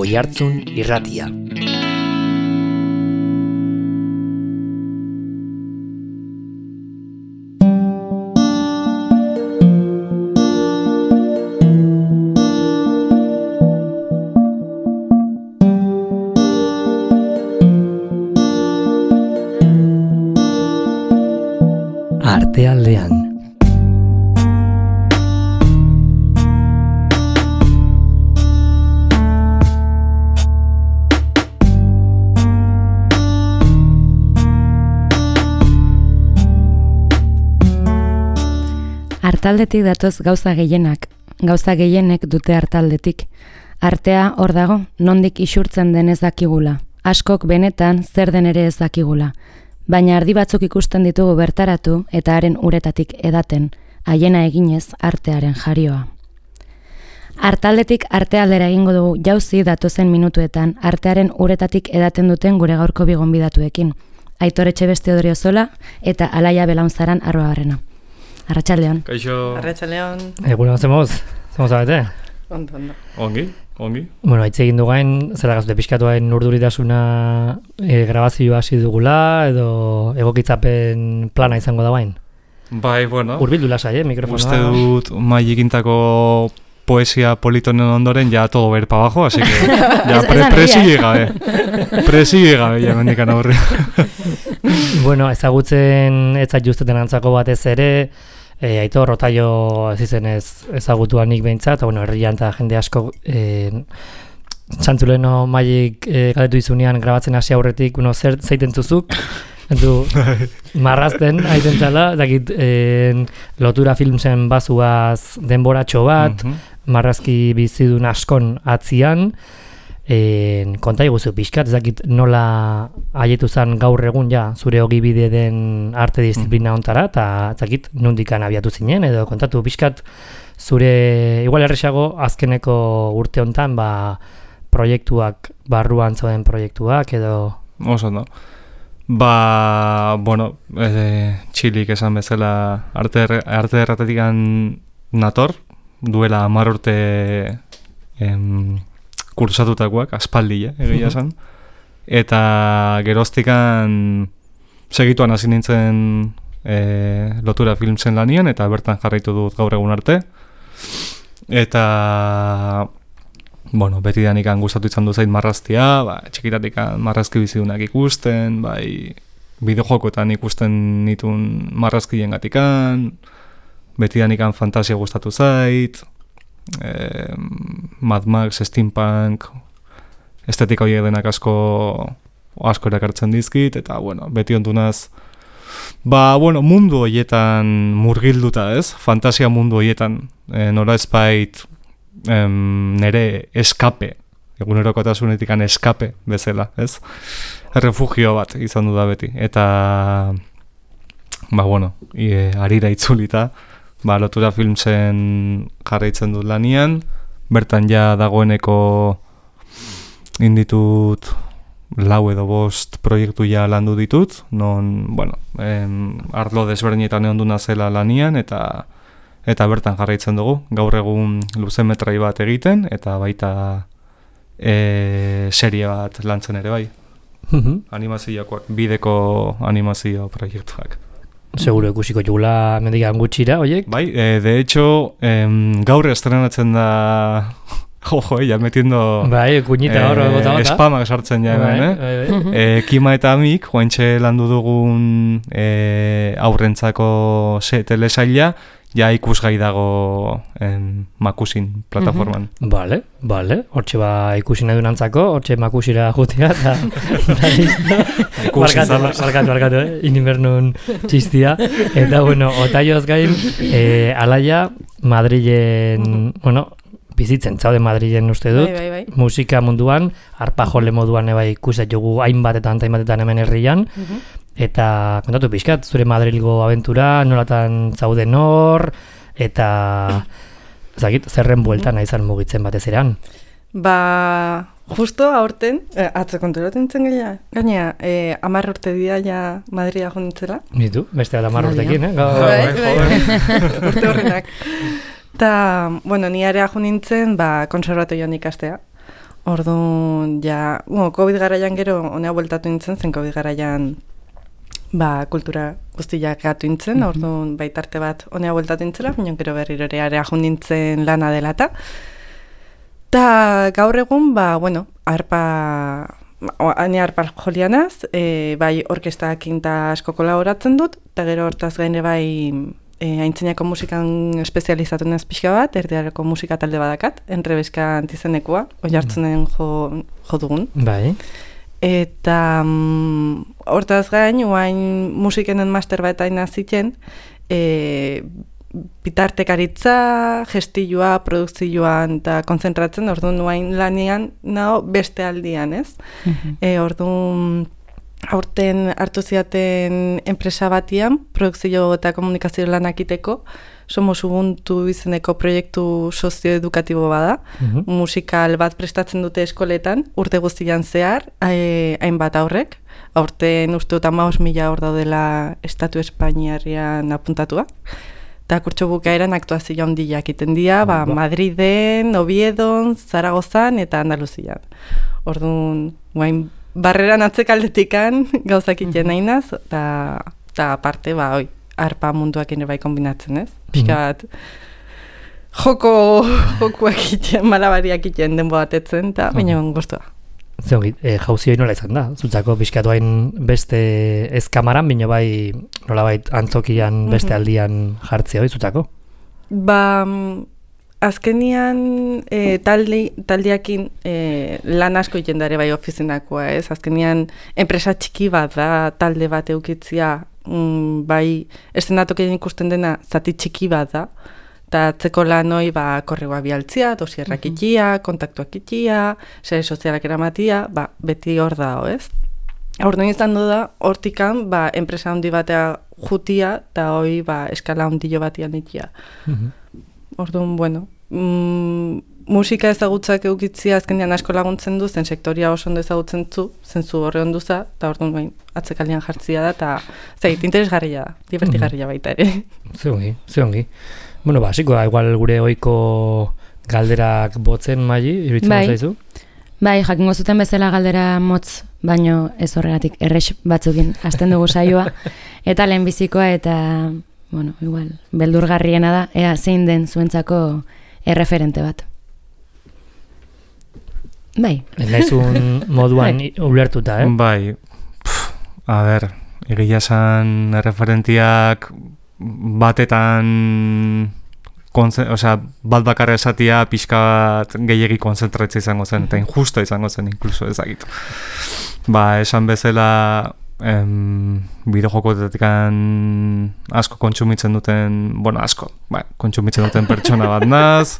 Oihartzun Irratia. Artealdean. Artaldetik datoz gauza gehienak, gauza gehienek dute artaldetik. Artea hor dago, nondik isurtzen den ez dakigula. Askok benetan zer den ere ez dakigula. Baina ardi batzuk ikusten ditugu bertaratu eta haren uretatik edaten, haiena eginez artearen jarioa. Artaldetik artealdera egingo dugu jauzi datozen minutuetan artearen uretatik edaten duten gure gaurko bi gonbidatuekin. Aitor Etxebeste Odriozola eta Alaia Belaunzaran Arruabarrena. Arratsaldeon. Kaixo. Arratsaldeon. Egunon, zemoz abete? Ondo. Ongi. Bueno, hitz egin dugain, zera gazute pixkatuain urduritasuna grabazioa hasi dugula, edo egokitzapen plana izango da bain? Bai, bueno. Urbildu lasai, mikrofonoa. Uste dut maigikintako poesia politonen ondoren ja todo ver para abajo, así que ya presigue gabe, ja mendikan aurre. Bueno, ezagutzen etzat justeten antzako batez ere, Aitor Rotaio ez izenez ezagutuanik behintzat, bueno, herrian eta jende asko Santzuleno maik galetu izunean grabatzen hasi aurretik, zeiten zuzuk, du marrazten aiten zala, dakit lotura filmsen bazuaz denboratxo bat, marrazki bizidun askon atzian, konta iguzu pixkat, ez dakit nola haietu zen gaur egun ja zure ogibide den arte disiplina ontara, eta ez dakit nondikan abiatu zinen, edo kontatu pixkat zure, igual erresago azkeneko urte hontan, proiektuak, barruan zauden proiektuak, edo... Oso, no? Bueno, txilik esan bezala arte erratetikan nator, duela 10 urte kursatutakoak, aspaldia, egia esan. Eta geroztikan segituan hasi nintzen lotura filmsen lanian, eta bertan jarraitu dut gaur egun arte. Eta, bueno, betidanikan gustatu izan du zait marraztia, txikitatikan marrazki bizidunak ikusten, bideojokoetan ikusten nituen marrazkien gatikan, betidanikan fantasia gustatu zait, Mad Max, Steampunk, estetika horiek denak asko erakartzen dizkit, eta, bueno, beti ondunaz, mundu horietan murgilduta, ez? Fantasia mundu horietan, nola ezbait nere eskape, egunerokotasunetik eskape bezala, ez? Refugio bat izan du da beti, eta, harira itzulita, lotura filmsen jarraitzen dut lanian, bertan ja dagoeneko inditut 4 edo 5 proiektu ja landu ditut, non, arlo desberdinetan egon duna zela lanian, eta bertan jarraitzen dugu, gaur egun luzemetrai bat egiten, eta baita serie bat lantzen ere bai. Animazioak, bideko animazio proiektuak. Seguro ikusiko jugula mendikan gutxira, oiek? Bai, de hecho, gaur estrenatzen da... ja metiendo... Bai, kuñita hor, gota. Spamak sartzen ja hemen, Kima eta Amik, joantxe landu dugun aurrentzako telesaila, ja ikusgai dago Makusin plataforman. Bale, hortxe ikusin edunantzako, hortxe Makusira jutea, eta barkatu, inimbernun txistia. Eta, otaioz gain, Alaia, Madrilen, bizitzen, zaude Madrilen uste dut, bai. Musika munduan, arpajole moduan ikuset jugu hainbatetan hemen herrian, eta kontatu pixkat, zure Madrilgo abentura, nolatan zauden hor, eta zerren bueltan izan mugitzen batez eran. Justo aurten, atzo konturatzen zen gaina, 10 urte dira ja Madrida jonditzela. Nitu, beste 10 urtekin, urte horrenak. Eta, ni area jo nintzen, konservatorioan ikastea. Orduan, ja, COVID garaian gero, honea bueltatu nintzen, zen COVID garaian kultura guztiak gatu nintzen, orduan baitarte bat honea bueltatu nintzela, baina gero berriro ere ajun nintzen lana dela eta. Ta gaur egun, arpa jolianaz, bai orkestakin ta asko kolaboratzen dut, eta gero hortaz gaine bai aintzinako musikan espezializatu naz pixka bat, erdiareko musika talde badakat, Enrebeska antizenekua, oihartzunen jo dugun. Bai. Eta hortaz gain, oain musikenen master bat aina ziten, bitartekaritza, gestioa, produkzioan eta konzentratzen, orduan oain lanian naho beste aldian, ez? Orduan aurten hartu ziaten enpresa batian, produkzio eta komunikazio lanak iteko, Somos Ubuntu izeneko proiektu sozioedukatibo bada, musikal bat prestatzen dute eskoletan, urte guztian zehar, hainbat aurrek, aurten uste dut 15.000 hor daudela Estatu Espainiarrian apuntatua, eta kurtso bukaeran aktuazio handiak iten dira, Madriden, Oviedon, Zaragozan eta Andaluzian. Orduan, barreran atzekaldetikan gauzak iten nahinaz, eta aparte, arpa munduak ere bai kombinatzen, ez? Pixka bat, jokuak iten, malabariak iten denbo batetzen, eta baina goztua. Zeongit, jauzi hori nola izan da? Zutzako pixkatu hain beste ez kamaran, baina bai nolabait antzokian beste aldian jartzea hori zutzako? Azkenian taldeakin lan asko iten dare bai ofizinakoa, ez? Azkenian enpresa txiki bat da, talde bat eukitzia, bai estenatokien ikusten dena zati txiki bat da, eta atzeko lan hoi korregoa bialtzia, dosierrak itia, kontaktuak itia, sare sozialak eramatia, beti hor da, ez? Orduan izan du da, hortikan, enpresa handi batea jutia, eta hoi eskala handilo batian itia. Orduan, musika ezagutzak eukitzia azkenean asko laguntzen du, zen sektoria oso ondo ezagutzen zentzu horre onduza, eta orduan atzekaldean jartzia da, eta interesgarria da, divertigarria baita ere. Zeongi. Basiko da, igual gure ohiko galderak botzen maili, iruditzen zaizu? Bai, jakingo zuten bezala galdera motz, baino ez horregatik errex batzukin hasten dugu saioa, eta lehenbizikoa eta, igual, beldurgarriena da, ea zein den zuentzako erreferente bat. Bai. Naizun moduan ulertuta, Bai, a ber, egia esan erreferentiak batetan bat bakarra esatia pixka bat gehiegi konzentratzea izango zen, eta injusto izango zen inkluso ezagitu. Esan bezala bideojokoetatik asko kontsumitzen duten, kontsumitzen duten pertsona bat naz,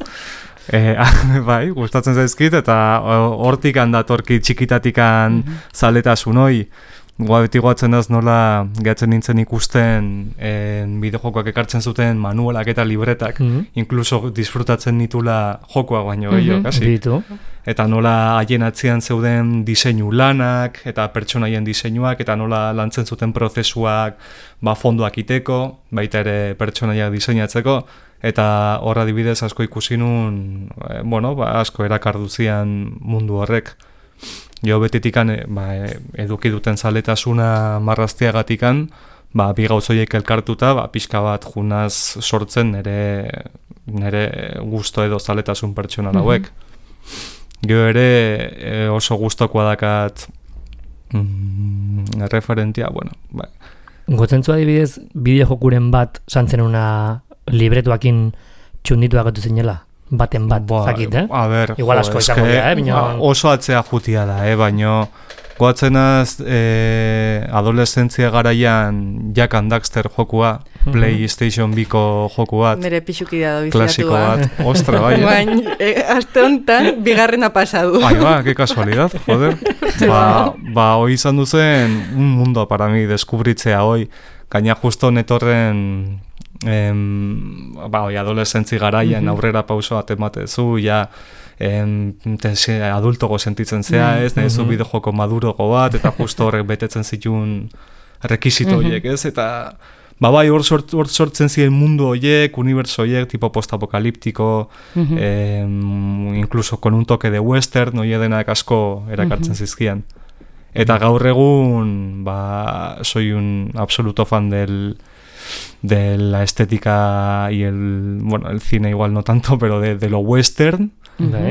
gustatzen zaizkit, eta hortik handatorki txikitatikan zaletasun hoi, beti goatzen daz nola gehatzen nintzen ikusten bideojokoak ekartzen zuten manualak eta libretak, inkluso disfrutatzen nitula jokoa baino gehiago, kasi. Eta nola haien atzian zeuden diseinu lanak, eta pertsonaien diseinuak, eta nola lantzen zuten prozesuak fondoak iteko, baita ere pertsonaiak diseinatzeko, eta horra adibidez asko ikusi nun, asko erakarduzian mundu horrek. Jo betetikan eduki duten zaletasuna marrazteagatikan, bi gauzoiek elkartuta, pixka bat junaz sortzen nire gusto edo zaletasun pertsonal hauek. Gero ere oso gustokoa dakat referentia, Gotzentzu adibidez, bideojokuren bat santzen una libretuakin txundituak gatu zinela? Baten bat, zakit, A ber, igual asko izango dira, oso atzea jutia da, baina goatzenaz adoleszentzia garaian Jack and Daxter jokua, PlayStation 2ko joku bat, nire pixukidea da klasiko bat, ostra, bai. Aste honetan, bigarrena pasadu. Que casualidad, joder. Hoi izan duzen, un mundo para mi, deskubritzea hoi, gaina justo netorren adolescentzi garaian aurrera pauso bat ematezu, adultogo sentitzen zea, ez, nezu bideojoko madurogo bat, eta justo horrek betetzen zituen rekizito horiek, ez, eta bai, hor sortzen ziren mundu horiek, universo horiek, tipo postapokaliptiko, incluso con un toque de western, hori denak asko erakartzen zizkian. Eta gaur egun, soy un absoluto fan de la estética y el cine igual no tanto, pero de lo western,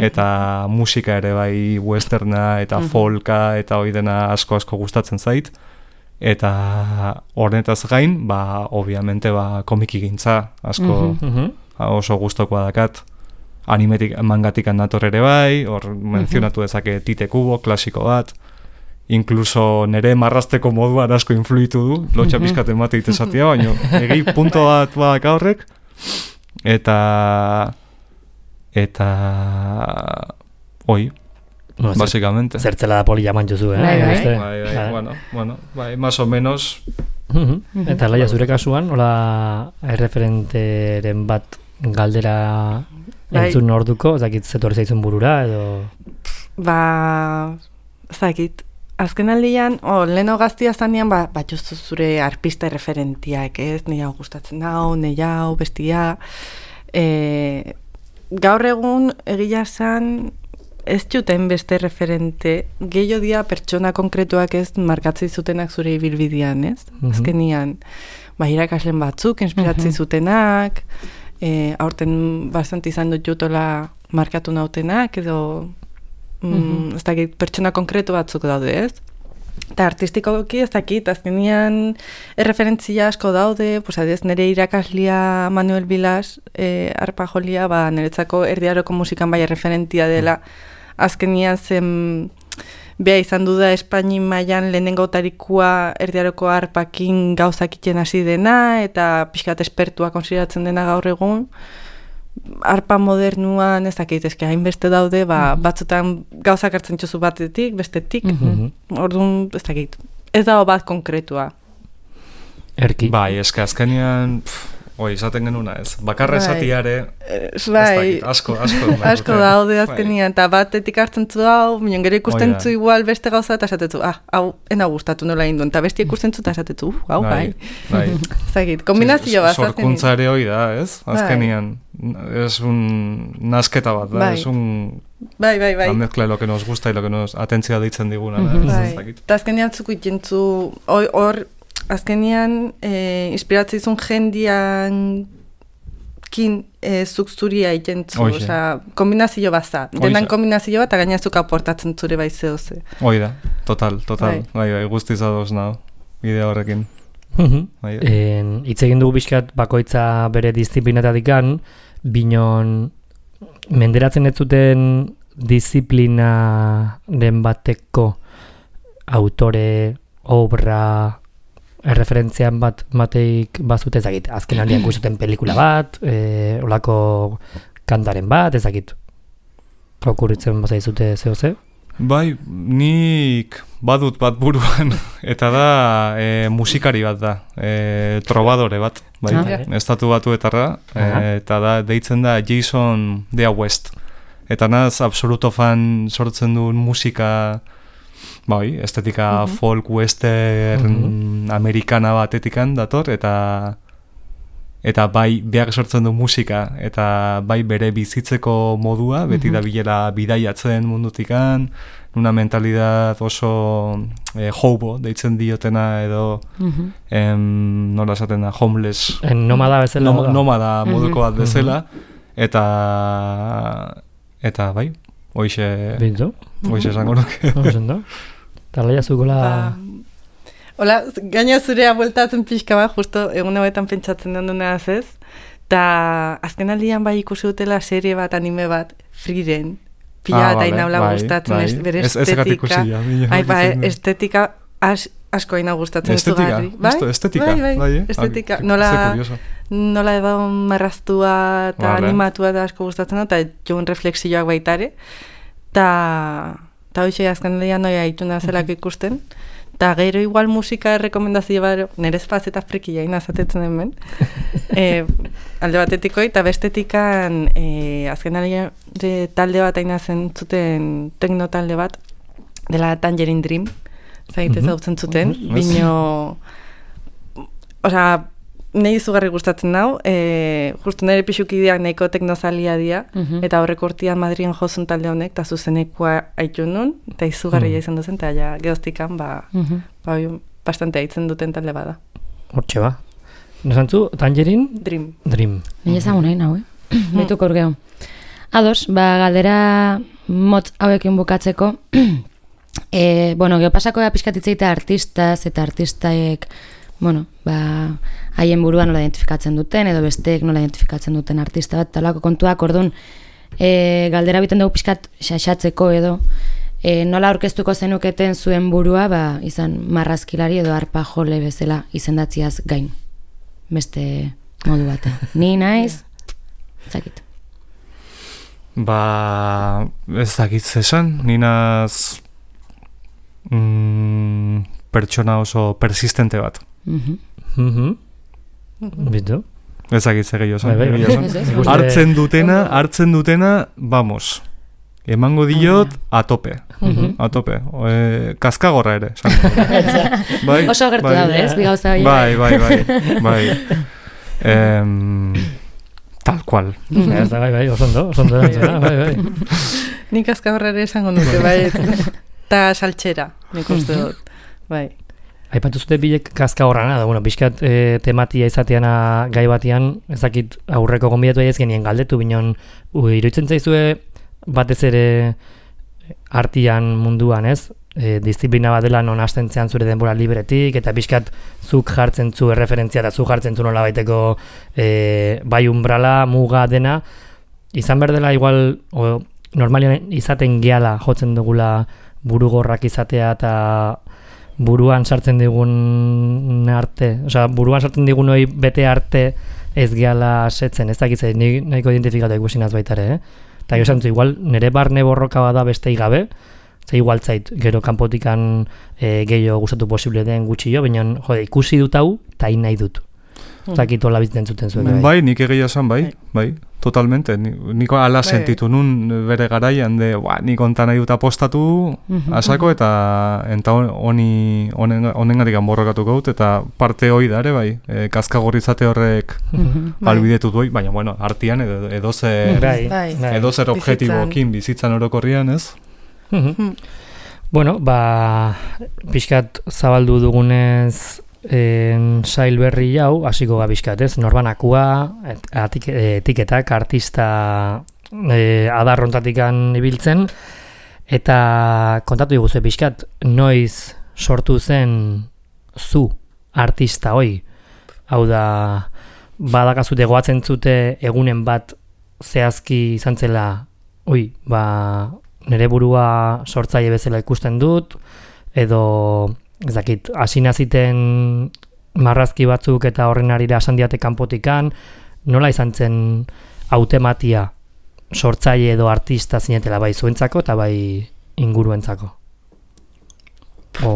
eta musika ere bai westerna, eta folka, eta hori dena asko gustatzen zait. Eta horretaz gain, obviamente, komiki gintza, asko oso gustokoa dakat. Animetik, mangatik nator ere bai, hor menzionatu dezake Tite Kubo, klasiko bat. Incluso nere marrasteko moduan asko influitu du, lotxa pizkaten mate itezatia, baina egi punto bat badaka horrek. Eta hoi, básicamente. Zertzela da poli jaman jozu, Bueno, más o menos. Eta laia zure kasuan, hola erreferenteren bat galdera entzun orduko, zakit zetorri zaizun burura, edo... Zakit, azken aldian, leheno gaztia zanean, jozu zure arpista referentiak, ez? Nei hau gustatzen hau, nei hau, bestia. Gaur egun, egia zan, ez juten beste referente, gehiago dia pertsona konkretuak ez markatzi zutenak zure ibilbidean, ez? Azkenian, irakaslen batzuk, inspiratzi zutenak, aurten bastant izan dut jutola markatu nautenak, edo ez dakit pertsona konkretu batzuk daude, ez? Eta artistikoki ez dakit, azkenian erreferentzia asko daude, nire irakaslia Manuel Vilas, arpa jolia, niretzako erdiaroko musikan bai referentia dela, azkenian zen beha izan duda Espaini mailan lehenengo tarikua erdiaroko arpakin gauzakiten hasi dena, eta pixkat espertua konsideratzen dena gaur egun, arpa modernuan ez dakit, hainbeste daude, batzutan gauzak hartzen txozu batetik, bestetik, orduan ez dakit, ez dago bat konkretua. Erki. Bai, azkenean, izaten genuna ez, bakarra esatiare, ez dakit, asko daude azkenean, eta batetik hartzen zu hau, minon gero ikusten zu igual beste gauza, eta esatetzu, hau, ena gustatu nola induen, eta bestia ikusten zu, eta esatetzu, hau, bai. Ez dakit, kombinazio bat. Sorkuntza ere hoi da, ez, azkenean. Es un nasketa bat, es un... Bai. La mezcla de lo que nos gusta y lo que nos atentzia deitzen diguna. Eta azkenean zuku itentzu, hor, azkenean inspiratzizun jendian zuk zuria itentzu, oza, kombinazio bat za. Denan kombinazio bat, eta gaina zuk aportatzen zure bai zehoze. Hoi da, total, bai, guztiz adoz nahu, idea horrekin. Hitz egin dugu bizkat bakoitza bere disiplinatatikan, binon menderatzen ez zuten disiplinaren bateko autore, obra, erreferentzian bateik bazute ezagit, azken aldian guztuten pelikula bat, olako kantaren bat, ezagit, okurritzen bazaizute zehose? Bai, nik badut bat buruan, eta da musikari bat da, trobadore bat, bai, estatu batuetarra, eta da deitzen da Jason Dea West. Eta naz, absoluto fan sortzen duen musika, bai, estetika folk, western, amerikana batetikan dator, eta bai beak sortzen du musika, eta bai bere bizitzeko modua, beti da bilera bidaiatzen mundutikan, una mentalidad oso hobo, deitzen diotena edo nola esaten da, homeless. Nomada bezala. Nomada moduko bat bezala, eta bai, hoixe esango nuke. Eta laia zukola... Hola, gaina zurea bueltatzen pixka bat, justo egun hauetan pentsatzen dunduna ez, eta azken aldian bai ikusi dutela serie bat, anime bat, Frieren, pila eta inaula gustatzen, bere estetika, estetika asko aina gustatzen ez dugarri. Bai, estetika, nola edo marraztua eta animatua eta asko gustatzen da, eta joan refleksioak baitare, eta hoxe azken aldian noia ituna zelako ikusten, eta gero igual musika rekomendazio bat, nerez fazeta frikia inazatetzen hemen, alde batetiko, eta bestetikan azken aldean talde bat ainazen zuten tekno talde bat, dela Tangerine Dream, zagitez hautzen zuten, bino, oza, Nei izugarri gustatzen nau, justu nire pixukideak nahiko teknozalia dira, eta horrek urtean Madrien jozun talde honek, eta zuzenekoa haitu nun, eta izugarria izan duzen, eta ja, geoztikan, bastante haitzen duten talde bada. Hortxe ba. Nesantzu, Tangerine? Dream. Nire ezagun nahi nau, Betuko urgeo. Ados, galdera motz hauekin bukatzeko, geopasako pixkatitzeita artistaz eta artistaek, haien burua nola identifikatzen duten, edo besteek nola identifikatzen duten artista bat, talako kontuak, orduan, galdera biten dugu pixkat xaxatzeko edo, nola aurkeztuko zenuketen zuen burua, izan marrazkilari edo arpa jole bezala izendatziaz gain. Beste modu batean. Ni naiz, zakit. Ez dakit zesan, ninaz pertsona oso persistente bat. Bitu? Ez dakit zegei oso. Hartzen dutena, vamos. Emango diot a tope. A tope. Kaskagorra ere. Oso gertu daude, ez? Bigauza hori. Bai. Tal cual. Bai, osondo erantzuna, bai. Nik kaskagorra ere esango nuke, bai. Ta saltxera, nik uste dut. Bai. Aipatu zute bilek kaska horrana, pixkat tematia izateana gai batean, ezakit aurreko gonbidatu ez genien galdetu, binon iruditzen zaizue batez ere artian munduan, ez? Disiplina bat dela non hasten zean zure denbora libretik, eta pixkat zuk jartzen zu erreferentzia, eta zuk jartzen zu nola baiteko bai umbrala, muga dena, izan behar dela igual, normalian izaten gehala jotzen dugula burugorrak izatea eta buruan sartzen digun arte, buruan sartzen digun hori bete arte ez gehala setzen, ez dakitzei, nahiko identifikatu ikusinaz baitare, Eta jo esan igual nire barne borroka bada bestei gabe, igual zait, gero kanpotikan gehiago gustatu posible den gutxi jo, baina ikusi dut hau, eta nahi dut. Zakit hola bizitzen zuten zuen. Bai, nik egia esan, bai, totalmente. Niko ala sentitu nun bere garaian, nik onta nahi dut apostatu asako, eta honengatik borrokatu gaut, eta parte hoi da ere, bai, kaskagorrizate horrek albidetu duai, baina, bueno, artian edozer objetibokin bizitzan orokorrian, ez? Bueno, pixkat zabaldu dugunez sail berri hau, hasiko gabizkat, ez? Norbanakua, etiketak, artista adarrontatikan ibiltzen, eta kontatu diguzu pixkat, noiz sortu zen zu artista hoi? Hau da, badakazute goatzen zute egunen bat zehazki izan zela, nire burua sortzaile bezala ikusten dut, edo ez dakit, hasina ziten marrazki batzuk eta horren arira esan diate kanpotikan, nola izan zen hautematia sortzaile edo artista zinetela bai zuentzako eta bai inguruentzako?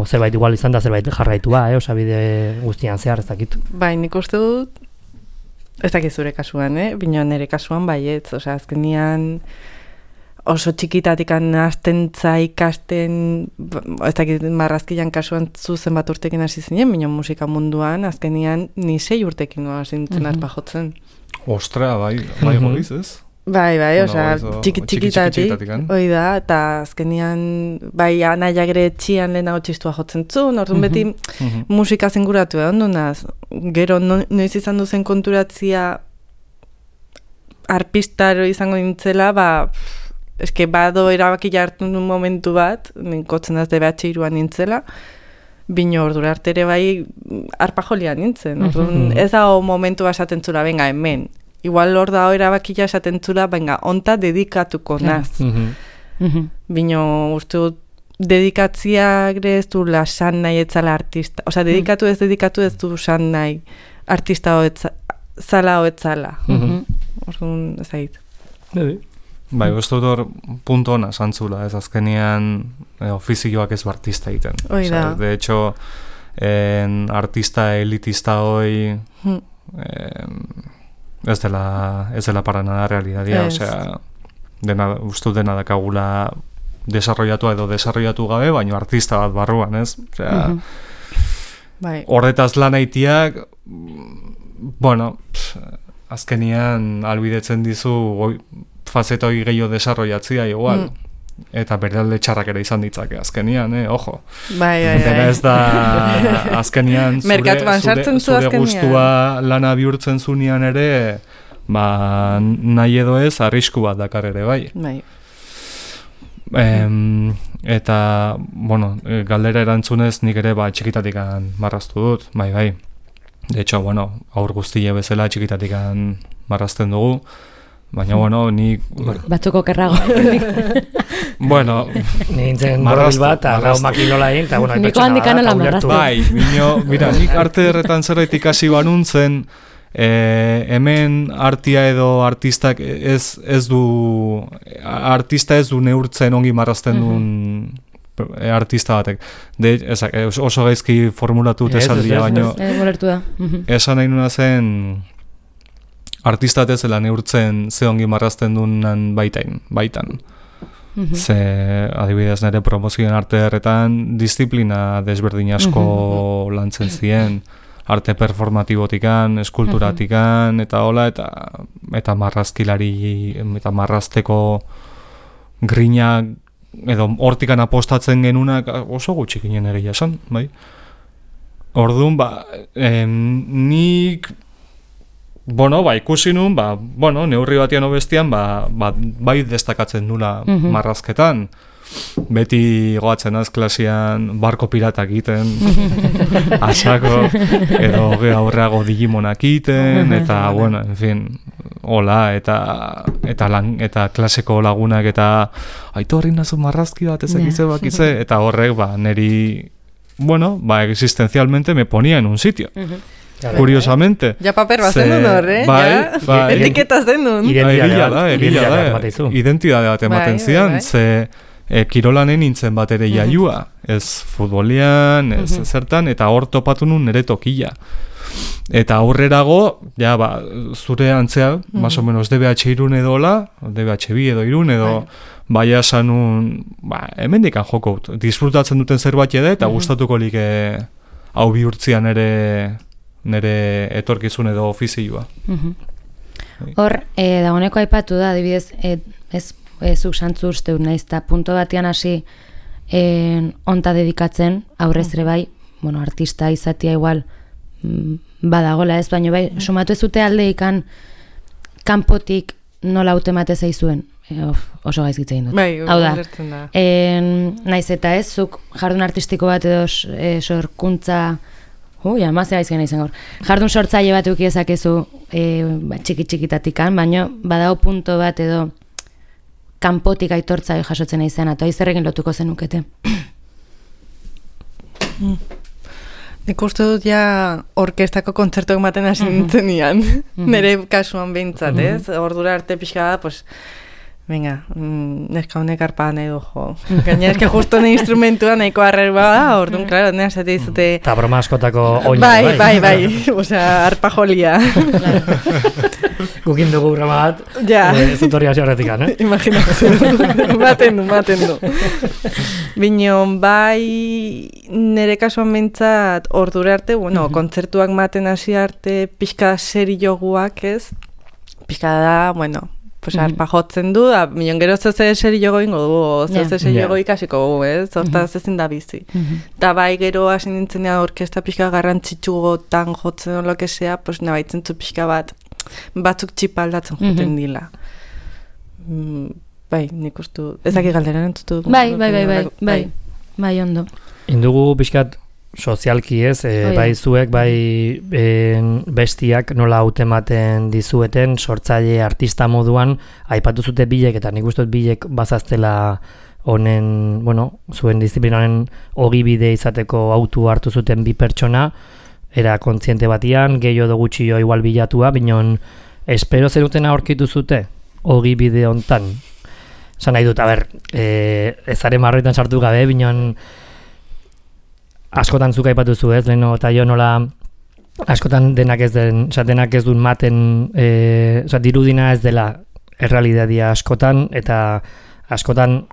Zerbait igual izan da zerbait jarraitua, osabide guztian zehar, ez dakit. Bai, nik uste dut, ez dakit zure kasuan, bino nire kasuan baietz, azkenian oso txikitatikan hastentza ikasten, ez dakit marrazkilan kasuan zuzen bat urtekin hasi zinen, baina musika munduan azkenian ni 6 urtekin hasi nintzen arpa jotzen. Ostra, bai goiz, ez? Bai, txikitatik, hoi da, eta azkenian, bai, anaiak ere etxian lehenago txistua jotzen zuen, orduan beti musika zinguratu ondunaz, gero noiz izan duzen konturatzia arpistaro izango nintzela, eske bado erabaki jartu nun momentu bat, ninkotzen az DBH iruan nintzela, bino ordura arte ere bai arpa jolian nintzen. Ez da momentu esaten zula, venga, hemen. Igual hor da erabaki ja esaten zula, venga, onta dedikatuko naz. Bino uste dut dedikatziak ez du lasan nahi etzala artista. Osa, dedikatu ez du san nahi artista zala hoetzala. Orduan, ez egit. Bai, uste dut hor punto hona zantzula, ez azkenian fizikoak ez artista egiten. De hecho, artista elitista hoi ez dela para nada realidadia, osea, uste dena dakagula desarrollatu edo desarrollatu gabe, baina artista bat barruan, ez? Osea, horretaz lan haitiak bueno, azkenian albidetzen dizu fazeta hori gehiago desarrollatzia igual. Eta berdealde txarrak ere izan ditzake azkenian, ojo. Bai. Dena ez da azkenian zure gustua lana bihurtzen zunean ere, nahi edo ez arrisku bat dakar ere, bai. Eta, bueno, galdera erantzunez nik ere txikitatikan marraztu dut, bai. De hecho, bueno, aur guztie bezala txikitatikan marrazten dugu. Baina, bueno, ni... Batzuko kerrago. Bueno, nintzen borobil bat, lau makilola egin, eta bueno, niko handikan ala marraztu. Bai, mira, nik arte erretan zerbait ikasi banuntzen, hemen artia edo artistak artista ez du neurtzen ongi marrazten duen artista batek. Oso gaizki formulatu esaldia, baina... Esan nahi nuna zen... Artistat ez zela neurtzen ze ongi marrazten dunan baitan. Ze, adibidez nire promozioen arte erretan, disiplina desberdin asko lantzen ziren, arte performatibotikan, eskulturatikan, eta hola, eta marrazkilari, eta marrazteko grina, edo hortikan apostatzen genunak oso gutxik ginen egia esan, bai? Orduan, nik... Bueno, ikusi nun, neurri batian obestian, bai destakatzen nula marrazketan. Beti goatzen az klasian barko piratak egiten, asako, edo aurreago digimonak egiten, eta, bueno, en fin, hola, eta klaseko lagunak, eta aito horri nazu marrazki bat ezakize, eta horrek, neri, bueno, existencialmente me ponía en un sitio. Curiosamente. Ja paper bat zen duen hor, Bai. Etiketaz den duen. Identidade bat ematen zian, ze kirolanen nintzen bat ere jaiua. Ez futbolian, ez zertan, eta hor topatu nun nire tokia. Eta aurrerago, zure antzea, más o menos DBH irun edola, DBH bi edo irun edo, baina sanun, hemendikan joko, disfrutatzen duten zerbait edo, eta gustatuko like hau bihurtzian nire etorkizun edo ofizioa. Hor, dagoeneko aipatu da, adibidez, zuk santzu uste dut naiz, eta punto batean hasi onta dedikatzen, aurrez ere bai, bueno, artista izatea igual badagola ez, baina bai, sumatu ez zute aldeikan kanpotik nola autemate zaizuen. Oso gaizkitzen dut. Bai, hau da. Naiz eta ez, zuk jardun artistiko bat edo sorkuntza amazea izan izan gaur. Jardun sortzaile bat eukiezakezu txiki-txikitatikan, baina badago punto bat edo kanpotik aitortza jasotzen izan, eta izerrekin lotuko zenukete. Nik uste dut orkestako kontzertuak maten hasi nintzen nian. Nire kasuan behintzat, ez? Ordura arte pixka da, pues... Venga, neska honek arpa nahi du, jo. Gaina eske justo ne instrumentua nahiko arrerba da, orduan, klaro, ne esate dizute... Eta broma askotako oina, bai. Osea, arpa jolia. Gukin dugu broma bat, zutorria horretik, eh? Imaginatzen, maten du. Binon, bai, nire kasuan behintzat ordura arte, bueno, kontzertuak maten hasi arte pixka serioguak, ez? Pixka da, bueno... Pues arpa jotzen du, milion gero zeze seri jogo ingo du, zeze seri jogo ikasiko du, hortaz ezin da bizi. Da bai gero hasi nintzenean orkesta pixka garrantzitsugotan jotzen olo kesea, pues nabaitzen zu pixka batzuk txipa aldatzen joten dila. Bai, nik ustu, ezaki galdera entzutu. Bai, ondo. Indugu pixkat sozialki ez, bai zuek, bai bestiak nola hautematen dizueten, sortzaile artista moduan, aipatu zute bilek, eta nik uste bilek bazaztela honen, bueno, zuen disiplinaren ogibide izateko autu hartu zuten bi pertsona, era kontziente batian, gehiago edo gutxio igual bilatua, binon, espero zenuten aurkitu zute, ogibide hontan. Zan nahi dut, ezaren marroetan sartu gabe, binon, askotan zuka aipatu zu ez, leheno eta jo nola askotan denak ez duen maten, dirudina ez dela errealidadia askotan, eta askotan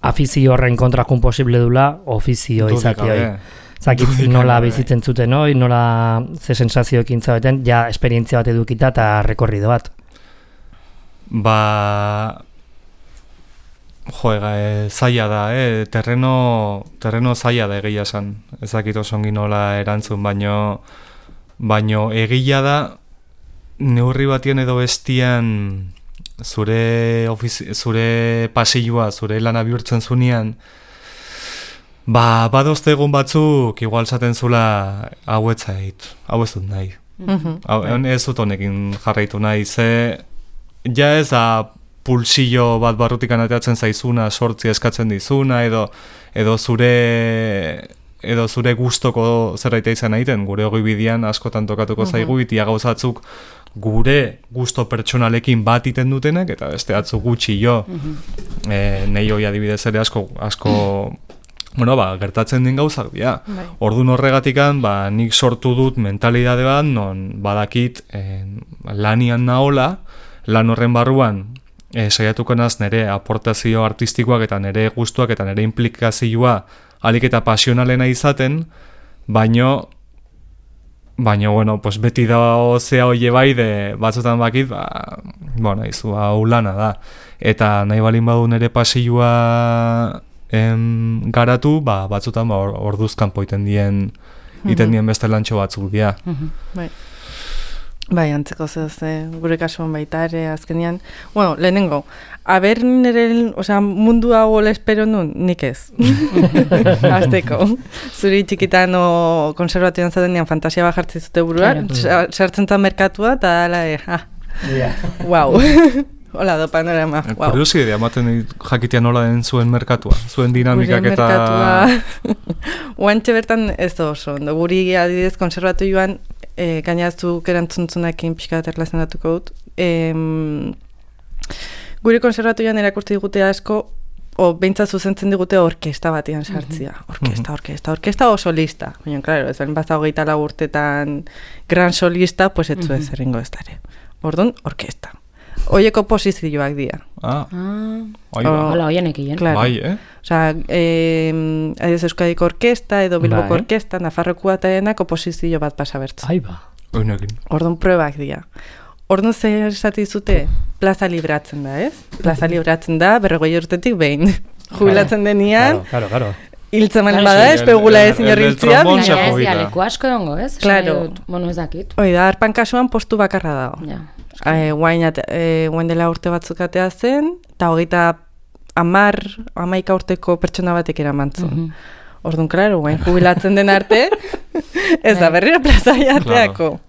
afizio horren kontrakun posible dula ofizio izatea. Zakit nola bizitzen zuten, no? Nola ze sensazioekin zaudeten, ja esperientzia bat edukita eta rekorrido bat. Zaila da, terreno zaila da egia esan. Ezakit osongi nola erantzun, baino egia da neurri batien edo bestian zure pasilloa, zure lana bihurtzen zunean, badozte egun batzuk igual zaten zula hau ez dut nahi. Ez dut honekin jarraitu nahi, ze ja ez da pulsillo bat barrutikan ateatzen zaizuna, sortzi eskatzen dizuna, edo zure gustoko zerbait izan egiten, gure hogei bidean askotan tokatuko zaigu, itia gauzatzuk gure gusto pertsonalekin bat iten dutenek, eta beste atzu gutxi jo. Nei hoi adibidez ere asko gertatzen den gauzak dira. Ordun horregatikan, nik sortu dut mentalidade bat, non badakit lanian naola, lan horren barruan saiatuko naz nire aportazio artistikoak eta nire gustuak eta nire implikazioa alik eta pasionalena izaten, baino pues beti da zea hoie bai, batzutan bakit, izu, hau lana da. Eta nahi balin badu nire pasioa garatu, batzutan orduzkanpo iten dien beste lantxo batzuk dira. Bai, antzeko zez, gure kasuan baita ere, azkenean. Lehenengo, mundu hau hola espero nun, nik ez. Azteko. Zuri txikitan konservatioan zatenean fantasia bat jartzen zute buruan, sartzen zan merkatua, eta wow. Hola, do panorama. Kuriosi edo, amaten jakitea nola den zuen merkatua, zuen dinamikak eta... Oantxe bertan ez da oso, guri adibidez konservatioan, gainazuk erantzuntzunakin pixka bat erlazionatuko dut. Gure konservatoian erakurtzi digute asko, behintzat zuzentzen digute orkesta batian sartzia. Orkesta o solista. Baina, klaro, ez balen bazta 24 urtetan gran solista, pues etzu ez erringo ez dara. Orduan, orkesta. Oieko posizioak dira. Hola, oienek egin. Bai, Osa, Euskadiko orkesta edo Bilboko orkesta, Nafarrokoa eta denak oposizio bat pasa bertzu. Orduan, probak dira. Orduan zer esati zute, plaza libratzen da, ez? Plaza libratzen da, 40 urtetik behin. Jubilatzen denian, hiltzen malen bada, espegula ez inorriltzia. Baina ez dialeku asko dongo, ez? Claro. Mono ezakit. Da, arpan kasuan postu bakarra dago. Guain dela urte batzuk atea zen, eta 11 urteko pertsona batek eramantzun. Orduan, klaro, guain jubilatzen den arte, ez da berriro plaza jateako.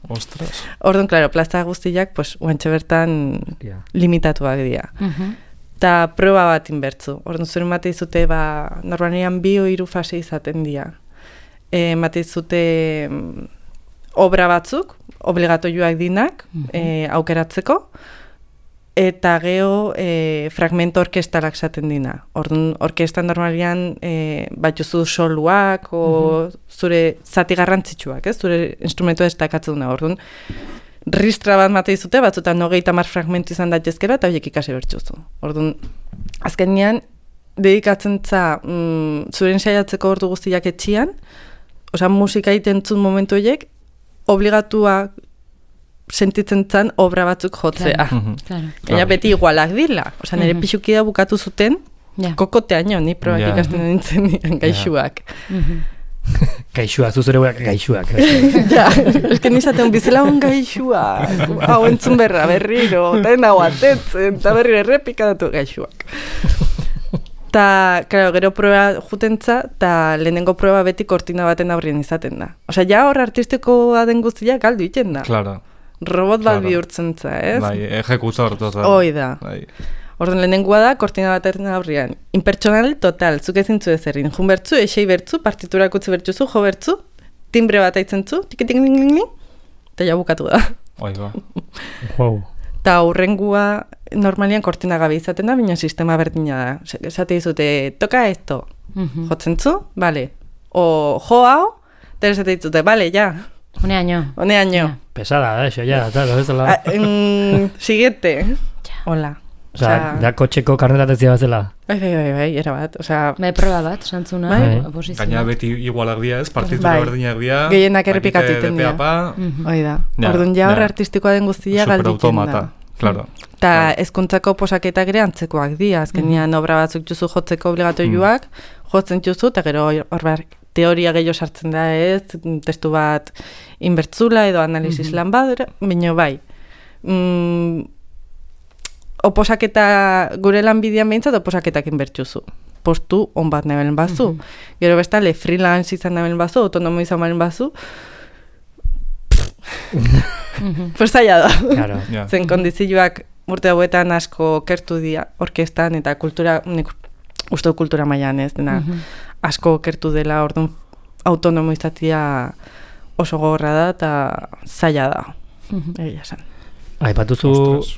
Orduan, klaro, plaza guztiak, pues, guantxe bertan limitatuak dira. Eta proba bat inbertzu. Orduan, zure mate izute, normalian 2 o 3 fase izaten dira. Mate izute obra batzuk, obligatoioak dinak, aukeratzeko, eta geho fragmento orkestalak esaten dina. Orduan, orkestan normalian batzuzu soluak o zure zati garrantzitsuak, zure instrumentu destakatzen duna. Orduan, ristra bat mate izute, batzutan 30 fragmentu izan daitezkera, eta horiek ikasi bertzuzu. Orduan, azkenean, dedikatzen zuren saiatzeko ordu guztiak etxian, musika itentzun momentu horiek, obligatua sentitzen zan obra batzuk jotzea. Gaina beti igualak dila. Nire pixukida bukatu zuten, kokoteaino, ni probak ikasten nintzen nian gaixuak. Gaixua, zuzure guak gaixuak. Eske nizaten bizela un gaixua. Hau entzun berriro, eta nago atetzen, eta berriro errepikadatu gaixuak. Eta, claro, gero proba jutentza, eta lehenengo proba beti kortina baten aurrien izaten da. Ja hor artistikoa den guztia galdu iten da. Claro. Robot bat bihurtzen za, ez? Bai, ejekutor total. Hoi da. Orduan lehenengoa da kortina baten aurrian. Impertsonal total, zuk ezin zu ezerrin. Jun bertzu, esei bertzu, partiturak utzi bertzuzu, jo bertzu, timbre bat aitzen zu, tikitik, eta ja bukatu da. Hoi ba. Eta hurrengua normalian kortina gabe izaten da, baina sistema berdina da. Esate dizute, toka esto, jotzen zu, bale. O jo hau, eta esate dizute, bale, ja. Honeaino. Pesada, eso, ya, tal, ez dela. Siguiente. Hola. Osea, da kotxeko karnetatzea bazela. Bai, erabat. Osea, Bai, proba bat, santzuna, Bai. oposizioa. Gaina beti igualak dira, ez? Partitura berdinak dira. Gehienak errepikatiten dira. Hoi da. Orduan ja hor artistikoa den guztia galditzen superautomata, claro. Eta hezkuntzako posaketak ere antzekoak dira. Azkenean obra batzuk juzu jotzeko obligatoioak, jotzen juzu, eta gero hor teoria gehiago sartzen da ez, testu bat inbertzula edo analisis lan bat, baina bai. Oposaketa gure lanbidean behintzat oposaketak inbertzuzu. Postu on bat nebelen bazu. Gero bestale freelance izan nebelen bazu, autonomo izan nebelen bazu. Pues zaila da. Claro. Zen kondizioak urte hauetan asko kertu dira orkestan eta kultura, nik uste kultura mailan ez dena asko kertu dela, orduan autonomo izatea oso gogorra da eta zaila da. Egia esan. Aipatuzu,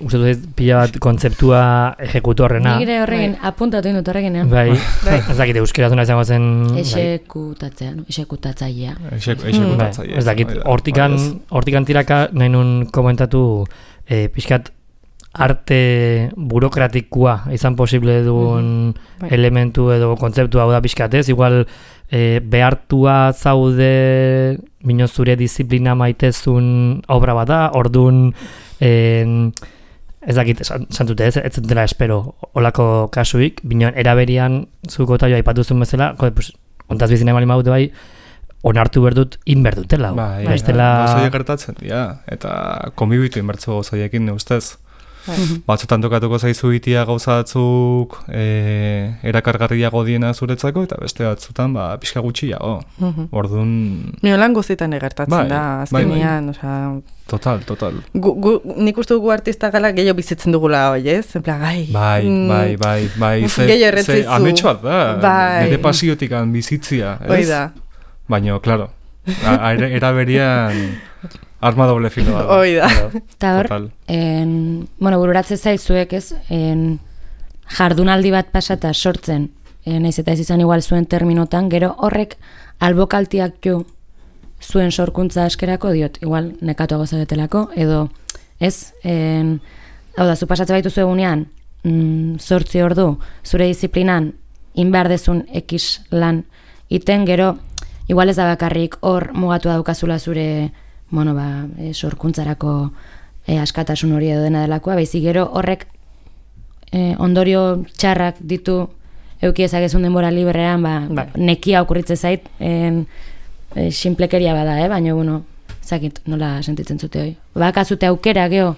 uste dut pila bat kontzeptua ejekutorrena. Nire horregin, apuntatu indut horreginean. Bai, ez dakit euskerazuna izango zen... Exekutatzailea. Ez dakit, hortikan tiraka nahi nun komentatu pixkat arte burokratikoa izan posible duen elementu edo kontzeptua hau da pixkatez, igual behartua zaude bino zure disiplina maitezun obra bat da, orduan ez dakit, santute ez dela espero olako kasuik, bino eraberian zuko taioa aipatuzun bezala, pues, ontaz bizina emali maute bai, onartu berdut inberdutela. Gozoiek gertatzen dira, eta konbibitu inbertzu gozoiekin ustez. Batzutan tokatuko zaizu itia gauza batzuk erakargarriago diena zuretzako, eta beste batzutan pixka gutxiago. Orduan... Miolan guztietan egertatzen da, azkenean, osea... Total. Nik uste dugu artista gala gehiago bizitzen dugula, oi ez? En plan, Bai. Gehiago erretzizu. Ametsuat da, nire pasiotik bizitzia, ez? Hoi da. Baina, klaro, eraberian... Arma doble filo da. Hoi da. Eta hor, bururatze zaizuek ez, jardunaldi bat pasata sortzen, nahiz eta ez izan igual zuen terminotan, gero horrek albokaltiak jo zuen sorkuntza askerako diot, igual nekatuago zabetelako, edo ez, hau da, zu pasatze baitu egunean, 8 ordu, zure disiplinan, inbar dezun X lan iten, gero, igual ez da bakarrik hor mugatu daukazula zure sorkuntzarako askatasun hori edo dena delakoa, baizik gero horrek ondorio txarrak ditu euki ezakezun denbora librean, nekia okurritze zait, sinplekeria bada, baina, ezakit, nola sentitzen zute hoi. Bakazute aukera geho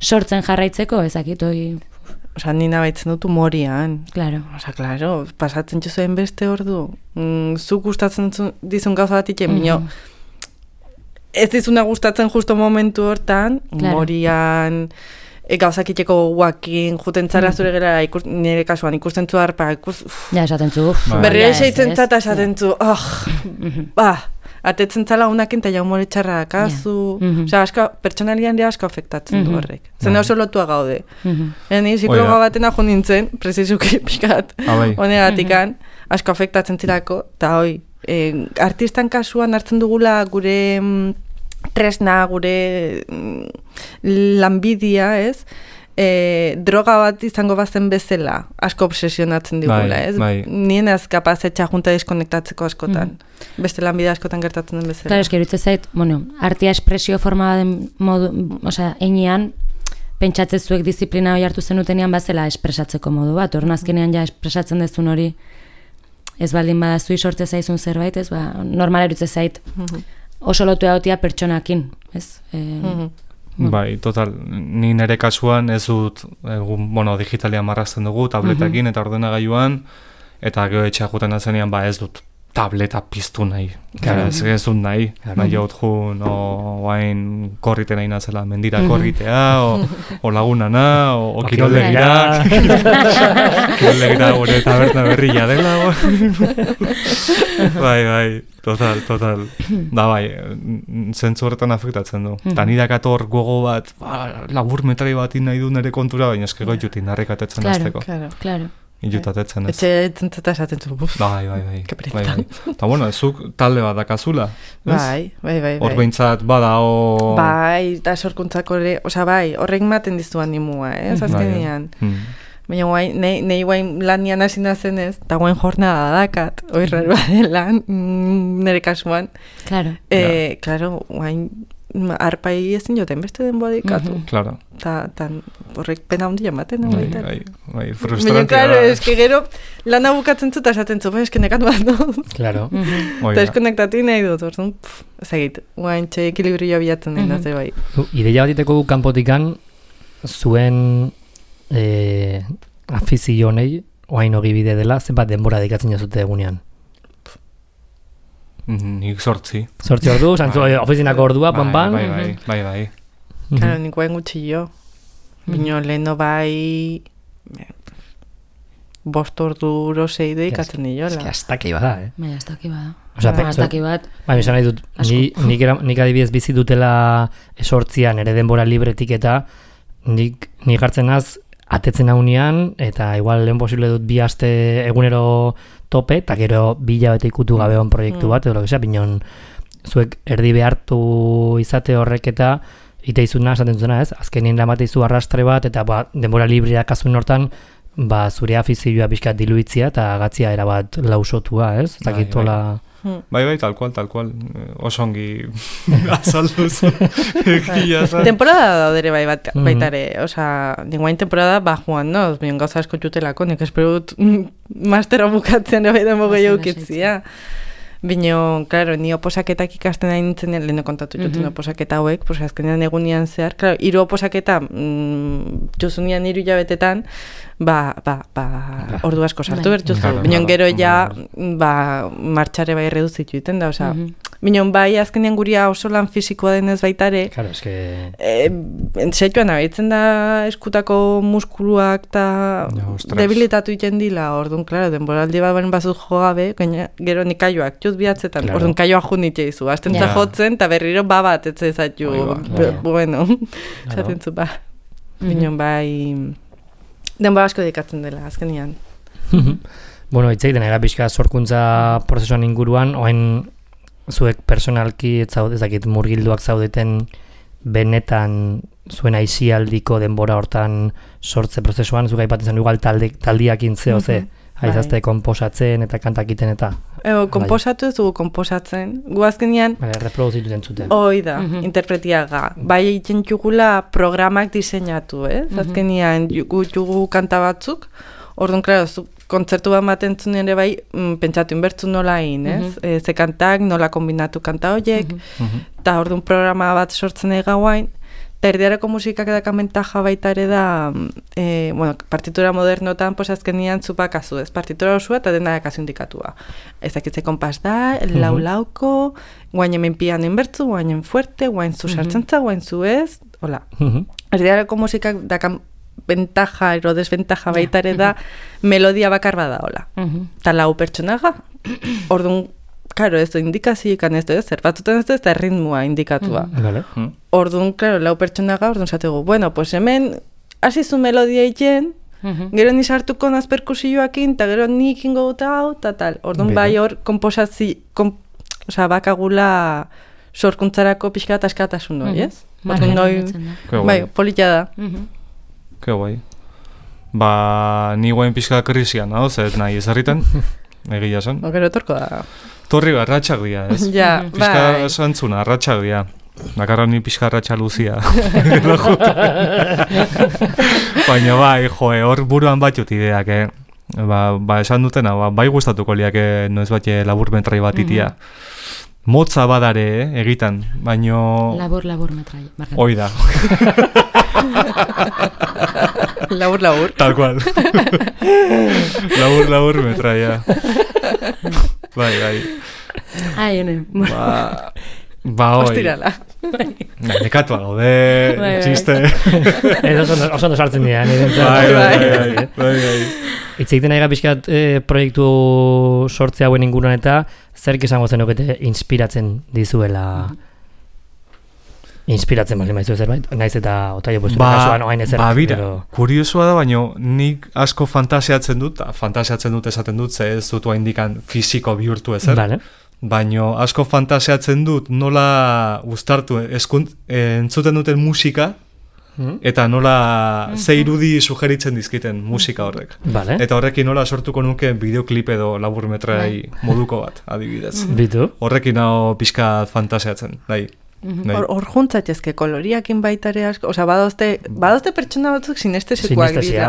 sortzen jarraitzeko, ezakit hoi... Osa, nina baitzen dut humorian. Claro. Osa, claro, pasatzen jozuen beste ordu. Zuk gustatzen dizun gauza bat iken, bino... Ez dizuna gustatzen justo momentu hortan, humorian, gauzakiteko guakin, juten zara zure gera, nire kasuan ikusten zu harpa, ja, esaten zu. Berriro esaitzen zata esaten zu, atetzen zala unakin eta jaumore txarra kazu. Osea, pertsonalian dira asko afektatzen du horrek. Zene oso lotua gaude. Ni psikologa batena jo nintzen, prezizuki pixkat, honegatikan, asko afektatzen zirako, eta hoi, artistan kasuan hartzen dugula gure tresna, gure lanbidia, ez? Droga bat izango bazen bezala, asko obsesionatzen digula, ez? Nien ez kapaz etxajunta diskonektatzeko askotan. Beste lanbidea askotan gertatzen den bezala. Claro, eski erutze zait, artia espresio forma den modu, osea, einean, pentsatzen zuek disiplina hori hartu zenutenean bazela espresatzeko modu bat, orduan azkenean ja espresatzen dezun hori ez baldin badazui sortze zaizun zerbait, ez, normal erutze zait oso lotu egotia pertsonakin, ez? Bai, total, ni nire kasuan ez dut, digitalian marrazten dugu, tabletakin eta ordenagailuan, eta gero etxea juten azenean, ez dut tableta piztu nahi. Ez dut nahi. Nahi jaut jun, oain korrite nahi nazela, mendira korritea, o lagunana, o kiroldegira. Kiroldegira gure taberna berria dela. Bai, total. Da bai, zentzu horretan afektatzen du. Ta nire akator gogo bat, labur metrai bat nahi du nire kontura, baina eskego jutin narrekatetzen azteko. Claro. Ilutatetzen ez. Etxe entzenta esaten zu. Bai. Keperita. Eta bueno, zuk talde bat dakazula, ez? Bai. Hor behintzat badao... Bai, eta sorkuntzako ere, bai, horrek maten dizu animua, azkenean. Baina nahi guain lanian hasi nazen ez, eta guain jornada dakat, oirrar badelan, nire kasuan. Claro. Claro, guain arpai ezin joten beste denboa dikatu. Claro. Ta horrek pena handia ematen. Bai, frustrantia. Baina, claro, eske gero lana bukatzen zu eta esaten zu, eske nekat bat dut. Claro. Eta eskonektatu nahi dut, orduan, ezagit, guain txe ekilibrio bilatzen den, zer bai. Ideia bat iteko kanpotikan, zuen afizio honei, oain ogibide dela, zenbat denbora dikatzen jazute egunean? Nik 8. 8 ordu, zantzu ofizinako ordua, pan. Bai. Claro, nik guain gutxi jo. Bino leheno bai... 5 orduro 6 ikatzen niola. Eski astaki bada, Bai, astaki bada. Astaki bat. Bai, esan nahi dut, nik adibidez bizi dutela 8 ere denbora libretik eta nik hartzen naz atetzen haunean, eta igual lehen posible dut 2 aste egunero tope, eta gero 2 hilabete ikutu gabe on proiektu bat, edo binon zuek erdi behartu izate horrek eta ite izuna, esaten zuzena ez, azkenien lamate izu arrastre bat, eta denbora libreak azun hortan, zure afizioa pixkat diluitzia, eta gatzia erabat lausotua, ez? Zakitola... Bai, tal cual. Oso ongi azalduz. Temporada daudere baitare. Osa, ninguain temporada joan, no? Bion gauza asko jutelako, nik espero dut mastera bukatzen bai demo gehiago ukitzia. Bino, claro, ni oposaketak ikasten nahi nintzen, leheno kontatu juten oposaketa hauek, pues azkenean egunian zehar, claro, 3 oposaketa jozunian 3 hilabetetan, ordu asko sartu bertuzu. Bino, gero ja, martxare bai reduzitu iten da, osa, bino, bai azkenean guria oso lan fisikoa denez baitare, claro, eske... Entzetuan abaitzen da eskutako muskuluak eta debilitatu iten dila, orduan, claro, denboraldi bat baren bazut jogabe, gero nikaioak jut bihatzetan, orduan kaioa junitxe izu, aztentza jotzen, eta berriro bat etze zaitu, bueno, esaten zu, binon bai, denbora asko dikatzen dela, azkenian. Bueno, itzeiten era pixka sorkuntza prozesuan inguruan, oain zuek personalki ezakit murgilduak zaudeten benetan zuen aizialdiko denbora hortan sortze prozesuan, zuek aipatzen zen igual taldiak intzeo ze, aizazte komposatzen eta kantakiten eta... Komposatu ez dugu komposatzen, gu azkenean... Reproduzitu zentzuten. Hoi da, interpretiaga. Bai egiten jugula programak diseinatu, azkenean gu jugu kanta batzuk, orduan, klaro, kontzertu bat matentzun ere bai, pentsatu inbertzu nola egin, ze kantak, nola kombinatu kanta horiek, eta orduan programa bat sortzen egauain, eta erdiareko musikak edakamentaja baita ere da, partitura modernotan, pues azkenian zupakazu, ez, partitura osua eta dena dakazu indikatua. Ezakitze konpas da, lau-lauko, guain hemen piano inbertzu, guain hemen fuerte, guain zu sartzentza, guain zu ez, hola. Erdiareko musikak dakan ventaja ero desventaja baita ere da melodia bakar bada, hola. Eta lau pertsonaga, orduan, claro, ez du indikazioekan ez du, zer batzuten ez du, ez da ritmoa indikatua. Orduan, claro, lau pertsonaga, orduan zategu, bueno, pues hemen hasizu melodia egin, gero ni sartuko naz perkusioakin, eta gero nik ingo dut hau, eta tal. Orduan, bai hor, bakagula sorkuntzarako pixka eta askatasun hori, ez? Bai, polita da. Ke guai. Ni guain pixka krisian, hau, ez nahi ezarritan, egia zen. Gero etorko da. Torri arratxak dira, ez? Ja, bai. Pixka zantzuna, arratxak dira. Bakarra ni pixka arratxa luzia. Baina bai, hor buruan batut ideak, esan dutena, bai gustatuko liak, noiz bat laburmetrai bat itia. Motza badare, egitan, baino... Labur metrai. Hoi da. Labur. Tal cual. Labur metrai, ja. Bai. Ai, hone. Hoi. Ostirala. Nekatua gaude, txiste. Oso ondo sartzen dira, Bai. Itzeiten nahi pixkat proiektu sortze hauen inguruan eta zerk esango zenukete inspiratzen dizuela? inspiratzen bali maizu zerbait, naiz eta otaio postu kasuan oain ezer. Bira, kuriosua da, baina nik asko fantasiatzen dut esaten dut, ze ez dut indikan fisiko bihurtu ezer. Vale. Baina asko fantasiatzen dut nola uztartu entzuten duten musika, eta nola ze irudi sugeritzen dizkiten musika horrek. Vale. Eta horrekin nola sortuko nuke bideoklip edo laburmetrai moduko bat, adibidez. Bitu. Horrekin hau pixka fantasiatzen, nahi. Hor juntzatezke koloriakin baitare asko, osea, badozte pertsona batzuk sinestesikoak dira.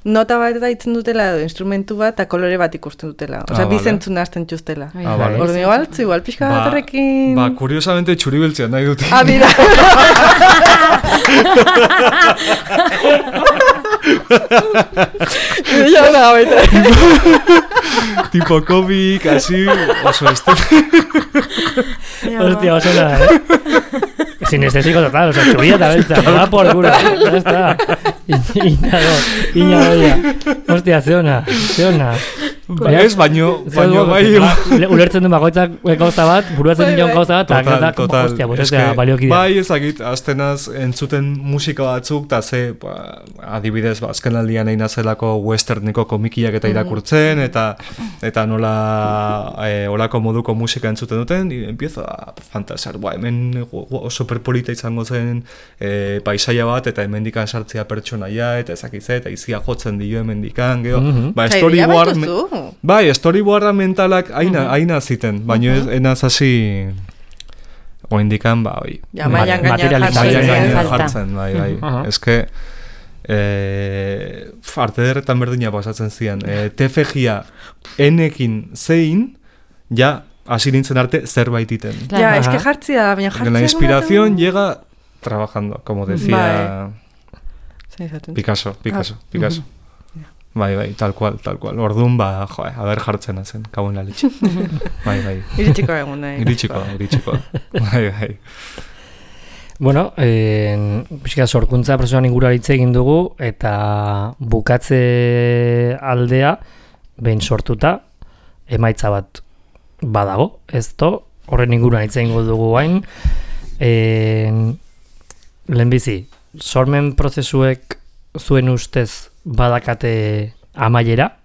Nota bat daitzen dutela edo instrumentu bat eta kolore bat ikusten dutela. Osea, bizentzun hasten txustela. Ordu igual pixka bat horrekin... Kuriosamente txuribeltzean nahi dut. Mira. Ya da, baita. Tipo cómic, así, oso Hostia, oso nada, Sinestésico total, o sea, chubilla eta beltza, va por culo, ya está. Iñago, hostia, zeona. Ez, baino bai... Ulertzen du bakoitzak gauza bat, buruatzen dion gauza bat, eta hostia, bostea baliokidea. Bai, ezakit, aztenaz entzuten musika batzuk, eta ze, adibidez, azken aldian egin azelako westerniko komikiak eta irakurtzen, eta nola olako moduko musika entzuten duten, y empiezo a fantasiar, hemen superpolita izango zen paisaia bat, eta hemendikan sartzea pertsonaia, eta ezakitze, eta izia jotzen dio hemendikan, geho, storyboarda mentalak aina ziten, baina enaz hasi oindikan, materializazioa jartzen, bai. Eske, arte derretan berdina pasatzen zian. TFG-a enekin zein, ja, hasi nintzen arte zerbait iten. Ja, eske jartzia, baina jartzia... La inspiración llega trabajando, como decía Picasso. Bai, tal cual. Orduan, haber jartzen zen, kauen lalitxe. Bai. Iritsiko egun, nahi. Iritsiko. Bai. Bueno, pixka sorkuntza prozesuan ingurua hitz egin dugu, eta bukatze aldea, behin sortuta, emaitza bat badago, horren inguruan hitz egingo dugu hain. Lehenbizi, sormen prozesuek zuen ustez badakate amaiera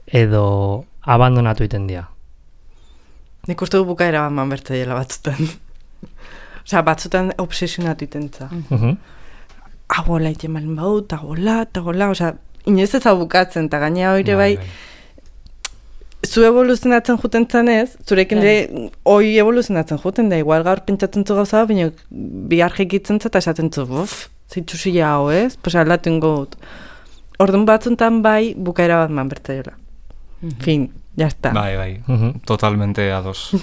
edo abandonatu iten dira? Nik uste du bukaera bat manbertzaiela batzutan. Osea, batzutan obsesionatu itentza. Agola iten malen bau, tagola, osea, inoiz ez hau bukatzen, eta gainea hori bai, zu evoluzionatzen juten zanez, zurekin hoi evoluzionatzen juten da, igual gaur pentsatzen zu gauza, baina bihar jekitzen eta esaten zu, zitsusia hau, ez? Pues aldatu ingo dut. Orduan batzuntan bai, bukaera bat manbertzaiola. Fin, jazta. Bai, totalmente ados.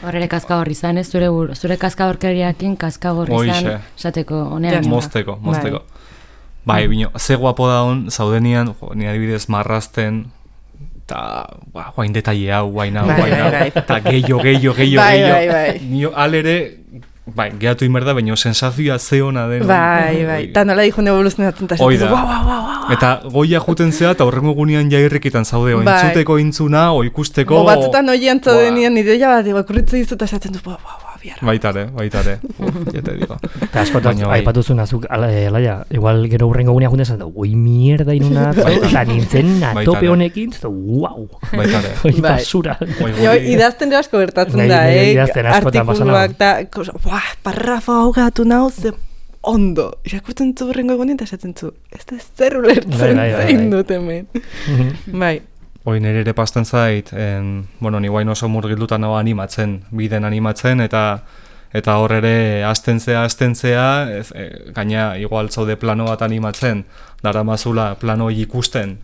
Horre kaskagorri izan, ez? Zure kaskagorkeriakin kaskagorri izan, esateko, honean. Mozteko. Bai, bino, ze guapo da hon, zaudenian, ni adibidez marrazten, eta, guain detaile hau, guain hau, eta gehiago. Bai. Nio alere, bai, gehatu inberda, baina sensazioa ze hona den. Bai. Eta nola dihun evoluzionatzen eta esatzen, Eta goia juten zea, eta horrengo gunean jairrikitan zaude, entzuteko intzuna, ikusteko... Batzutan oian zaudenian, ideia bat, kurritzu dizu eta esatzen du, biarra. Baitare, jete digo. Eta askotan, aipatuzun azuk, alaia, igual gero horrengo gunean juten zaten, ui mierda inuna, eta nintzen atope honekin, guau. Baitare. Oi basura. Idazten asko bertatzen da, artikuluak, eta, parrafa hogatu nau, ze ondo, irakurtzen zu horrengo egunen, eta esatzen zu, ez da zer ulertzen zein dut hemen. Bai. Hoi nire ere pasten zait, ni guain oso murgildutan hau biden animatzen, eta hor ere azten zea, gaina igual zaude plano bat animatzen, dara mazula plano ikusten,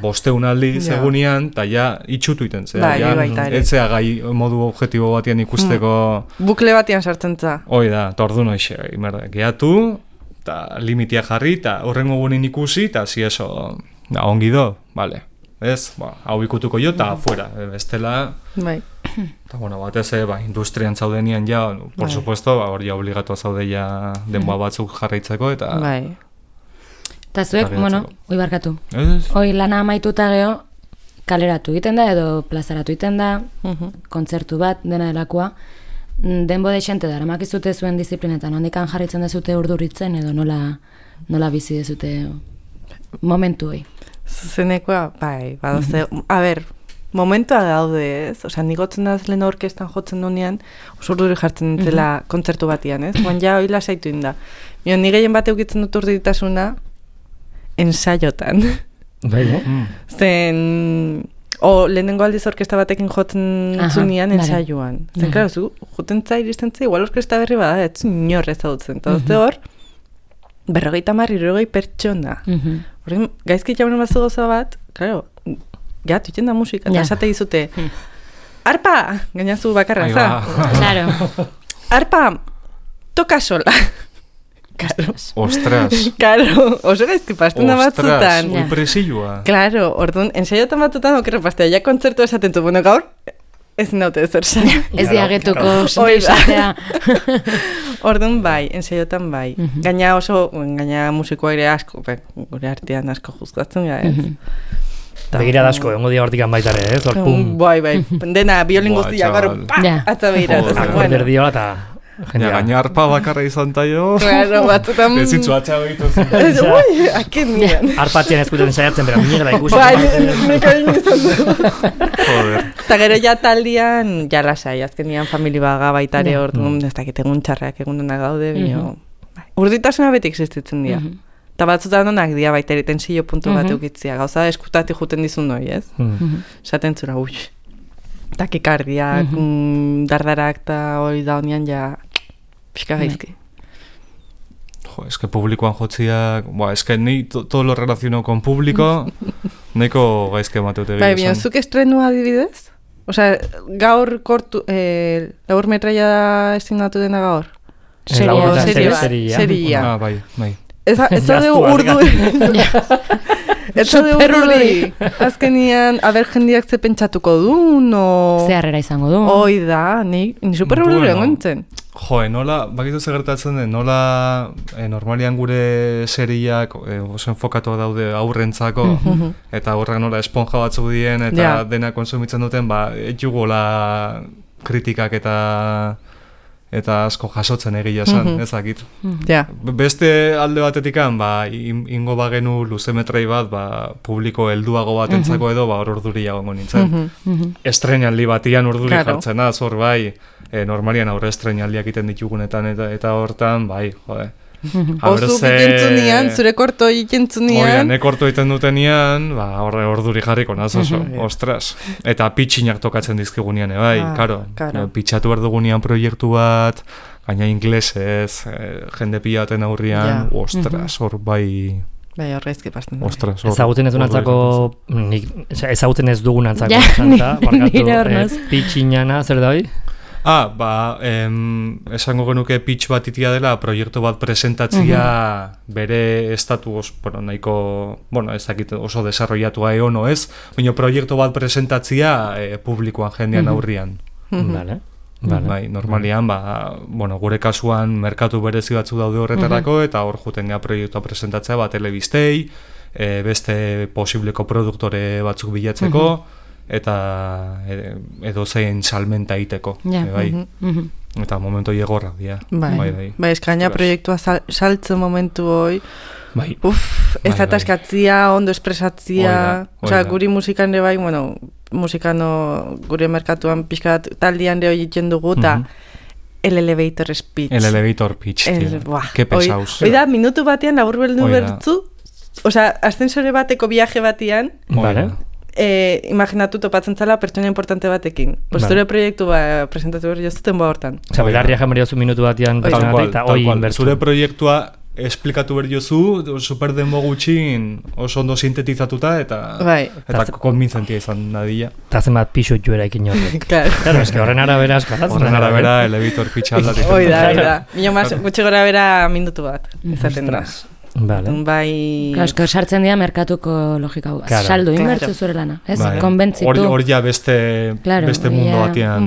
bosteun aldi segunean, eta itxutu iten zea, etzea gai modu objektibo batian ikusteko... Bukle batian sartzen za. Hoi da, eta ordu noixe, gehatu, eta limitia jarri, eta horrengo gunein ikusi, eta zi eso, ongi do, bale. Ez, hau ikutuko jo, eta afuera, bestela... Bai. Eta, batez, industrian zaudenian por supuesto, hor obligatu zaude denboa batzuk jarraitzeko, eta... Bai. Eta zuek, hoi barkatu. Hoi lana amaituta geho, kaleratu egiten da, edo plazaratu egiten da, kontzertu bat, dena delakoa, denbo deixente da, eramakizute zuen disiplinetan, handikan jarritzen dezute urduritzen, edo nola bizi dezute momentu hoi? Zuzenekoa, bai, badoze, a ber, momentua daude, ez? Osea, nigotzen da lehen orkestan jotzen dunean, oso urduri jartzen nintzela kontzertu batian, ez? Guan ja hoi lasaitu inda. Ni gehien bat eukitzen dut urduritasuna ensaiotan. Bai, Zen... lehenengo aldiz orkesta batekin jotzen zunean ensaioan. Zen, klaro, zu, joten zai, iristen zai, igual orkesta berri bada, ez inor ezagutzen. Eta dozte hor, 50-60 pertsona. Horren, gaizki jaunen bazu goza bat, klaro, tuiten da musika, eta esate dizute, arpa, gainazu bakarra, za? Claro. Arpa, toka sola. Claro. Ostras. Claro, oso gaizki pasten da batzutan. Ostras, presilua. Claro, orduan, ensaiotan batzutan okerre pastea, ja kontzertu esaten zu, bueno, gaur, ez naute ez orsa. Ez diagetuko esatea. Orduan bai, ensaiotan bai. Gaina musikoa ere asko, gure artean asko juzgatzen gara, ez? Begira dasko, ongo dia hortikan baitare, ez? Bai, dena, biolin guztia, gaur, atza behira. Akorder diola eta... Gaina arpa bakarra izan taio. Claro, batzutan... Ezitzu atxa behitu. Ui, aken nian. Arpatzen ezkuten saiatzen, pero minera ikusi. Bai, nekain izan du. Joder. Eta gero ja taldian, ja lasai, azken nian famili baga baitare orduan, ez dakit egun txarrak egun dena gaude, bino... Urditasuna beti existitzen dira. Eta batzutan onak dira baita ere tensio puntu bat eukitzia. Gauza eskutati juten dizun noi, ez? Esaten zura, ui. Takikardiak, dardarak eta hori da honian ja pixka gaizki. Jo, es que publikoan jotziak, es que ni todo lo relaciono con público, neko gaizke mateute bai, bino, zuk estrenua adibidez? Osea, gaur kortu, laur metraia estinatu dena gaur? Seria. Ah, bai. Ez da urdu... Ez da urdu... Azkenian, aber jendiak ze pentsatuko du, no... Ze harrera izango du. Hoi da, ni super urdu egontzen. Jo, nola, bakitu ze gertatzen den, nola normalian gure seriak oso enfokatu daude aurrentzako, eta horrek nola esponja batzuk dien, eta dena konsumitzen duten, etxugola kritikak eta asko jasotzen egia esan, ezakit. Beste alde batetikan, ingo bagenu luzemetrai bat, publiko helduago batentzako edo, hor urduri jagongo nintzen. Estrenaldi batian urduri jartzen da, zor bai, normalian aurre estrenaldiak iten ditugunetan eta hortan, bai, jode. Ozu ikentzunean, zure korto ikentzunean. Oia, ne korto iten dutenian, horre orduri jarriko naz oso, ostras. Eta pitxinak tokatzen dizkigunean, bai, karo. Pitxatu behar dugunean proiektu bat, gaina inglesez, jende pilaten aurrian, ostras, hor bai... Bai, horreizki pasten. Ostras, ezagutzen ez dugunantzako, ezagutzen ez dugunantzako, pitxinana, zer da hoi? Esango genuke pitch bat itia dela, proiektu bat presentatzia bere estatus, nahiko, ez dakit oso desarrollatua eono ez, baina proiektu bat presentatzia publikoan jendean aurrian. Bai, normalian, gure kasuan merkatu berezi batzu daude horretarako, eta hor juten gea proiektua presentatzea, telebistei, beste posibleko produktore batzuk bilatzeko, eta edo zein salmenta iteko. Eta momentu egorra dira. Bai, eskaina proiektua saltzen momentu hoi. Ez ataskatzia, ondo espresatzia. Osea, guri musikan ere bai, musikano gure merkatuan pixkat taldian ere hoi egiten dugu, eta el elevator speech. El elevator pitch, tío. Que pesaus. Hoi da, minutu batean labur beldu bertzu, osea, ascensore bateko viaje batean, imaginatu topatzen zala pertsona importante batekin. Zure proiektu presentatu behar jozuten hortan. Osea, belarria jamari jozu minutu batean eta hoi inbertu. Zure proiektua esplikatu behar jozu, super denbo gutxin oso ondo sintetizatuta eta konbintzentia izan nadila. Eta zenbat pixut juera ikin horrek. Claro, eske horren arabera askalatzen. Horren arabera elevator pitch aldatik. Oida. Mino mas, gutxi gora bera minutu bat. Izaten da. Bai... Esko, sartzen dira merkatuko logika hau. Saldu, inbertzu zure lana. Ez, konbentzitu. Hor ja beste mundu batean...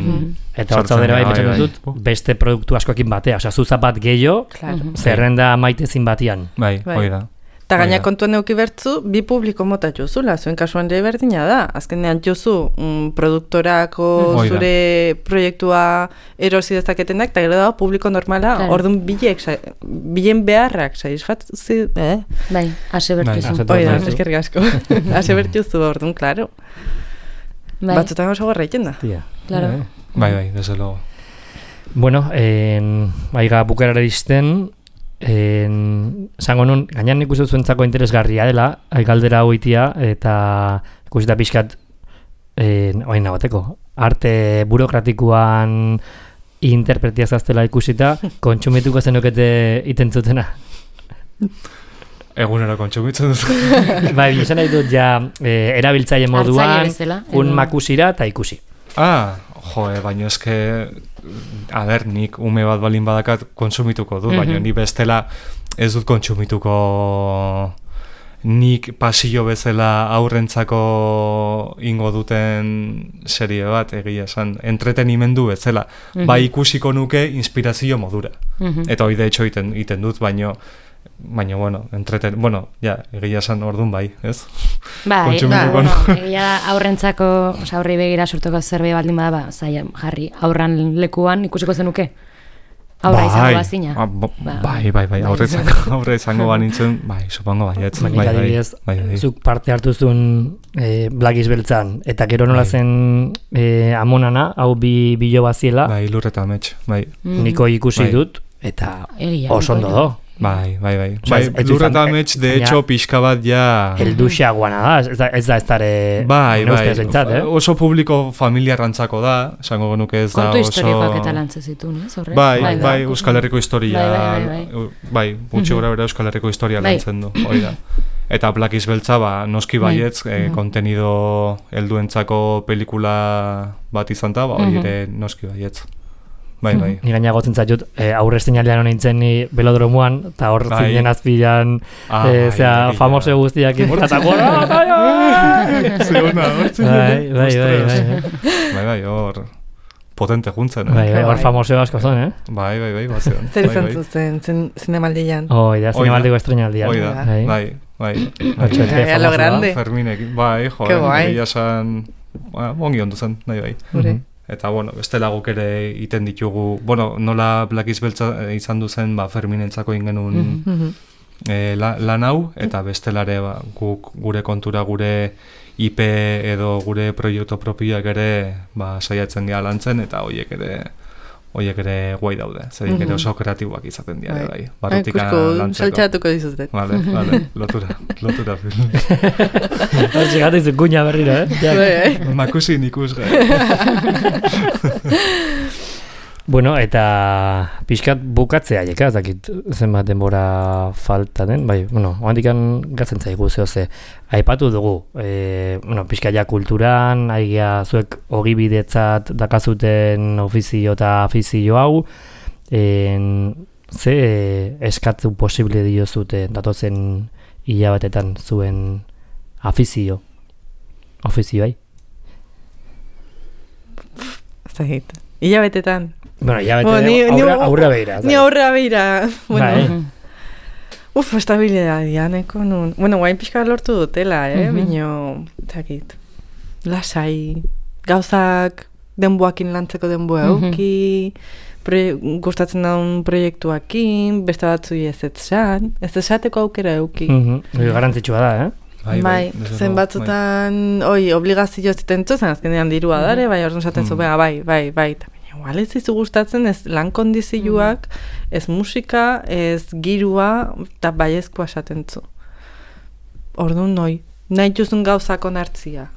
Eta hortza dira bai betxan dut, beste produktu askoekin batea. Osa, zuza bat gehiago, zerrenda maitezin batian. Bai, hoi da. Eta gaina kontuan euki bertzu, bi publiko mota jozula, zuen kasuan ere berdina da. Azkenean jozu produktorako zure proiektua erosi dezaketenak, eta gero da publiko normala, orduan bilen beharrak satisfatzi, Bai, ase bertuzu. Oida, eskerrik asko. Ase bertuzu, orduan, klaro. Batzutan oso garraiten da. Claro. Bai, desde luego. Bueno, baiga bukerara izten, zango nun, gainan nik uste zuentzako interesgarria dela, galdera hoitia, eta ikusita pixkat, oain nabateko, arte burokratikoan interpretia zaztela ikusita, kontsumituko zenukete itentzutena. Egunero kontsumitzen duzu. Bai, izan nahi dut ja erabiltzaile moduan, makusira eta ikusi. Baina eske, nik ume bat balin badakat kontsumituko du, baina ni bestela ez dut kontsumituko nik pasillo bezala aurrentzako ingo duten serie bat, egia esan, entretenimendu bezala. Bai ikusiko nuke inspirazio modura. Eta hori de hecho iten dut, baina egia esan orduan bai, ez? Bai, egia aurrentzako, aurri begira sortuko zerbait baldin bada, jarri, aurran lekuan ikusiko zenuke? Aurra izango bazina? Bai, aurre izango banintzen, bai, supongo baietz. Bai, zuk parte hartu zuen Black Beltzan, eta gero nola zen amonana, hau bilo baziela. Bai, Lurreta Amets, bai. Niko ikusi dut, eta oso ondo do. Bai. Lurreta Amets, de hecho, pixka bat ja... Elduxea guana da, ez da estare... Bai, oso publiko familiarrantzako da, esango genuke ez da oso... Kontu historikoak eta lantzezitu, ez? Bai, Euskal Herriko historia... Bai, gutxi gora bera Euskal Herriko historia lantzen du, hori da. Eta Black Beltza, noski baietz, kontenido helduentzako pelikula bat izan da, hori ere noski baietz. Bai. Ni gaina gotzen zaitut, aurre estinalean honintzen ni belodromuan, eta hor zinen azpilan, famoso guztiak inportatak gora, Zeona, hor zinen. Bai, hor potente juntzen. Bai, hor famoso asko zen, Bai, bazean. Zer izan zuzen zinemaldian? Oida, zinemaldiko estrenaldian. Oida, bai. Lo grande. Ferminek, bai, egia esan, ongi ondu zen, bai. Eta, bestela guk ere iten ditugu, nola Black Beltza izan duzen, Ferminentzako ingenun lan hau, eta bestelare guk gure kontura, gure IP edo gure proiektu propioak ere saiatzen geha lantzen, eta horiek ere guai daude, zerik ere oso kreatiboak izaten dira, bai. Barrutika lantzeko. Saltxatuko dizutet. Vale, lotura film. Txegatu izun guña berriro, Makusi ikus Bueno, eta pixkat bukatzea jeka, ez dakit zenbat denbora falta den, bai, oandikan gatzen zaigu zehose. Aipatu dugu, pixkat ja kulturan, aigia zuek ogibidetzat dakazuten ofizio eta afizio hau, ze eskatu posible diozute datozen hilabetetan zuen ofizioai? Zagit, hilabetetan? Aurra beira. Ni aurra beira. Estabilidadia, neko nun. Guain pixka lortu dutela, bino, zakit, lasai, gauzak denboakin lantzeko denboa euki, gustatzen daun proiektuakin, beste batzu ez esateko aukera euki. Garantzitsua da, Bai, zen batzutan, obligazio ziten zuzen, azkenean dirua dare, bai, orduan zaten zu, bai, igual ez izu gustatzen, ez lan kondizioak, ez musika, ez girua, eta baiezkoa esaten zu. Orduan nahi juzun gauzako nartzia.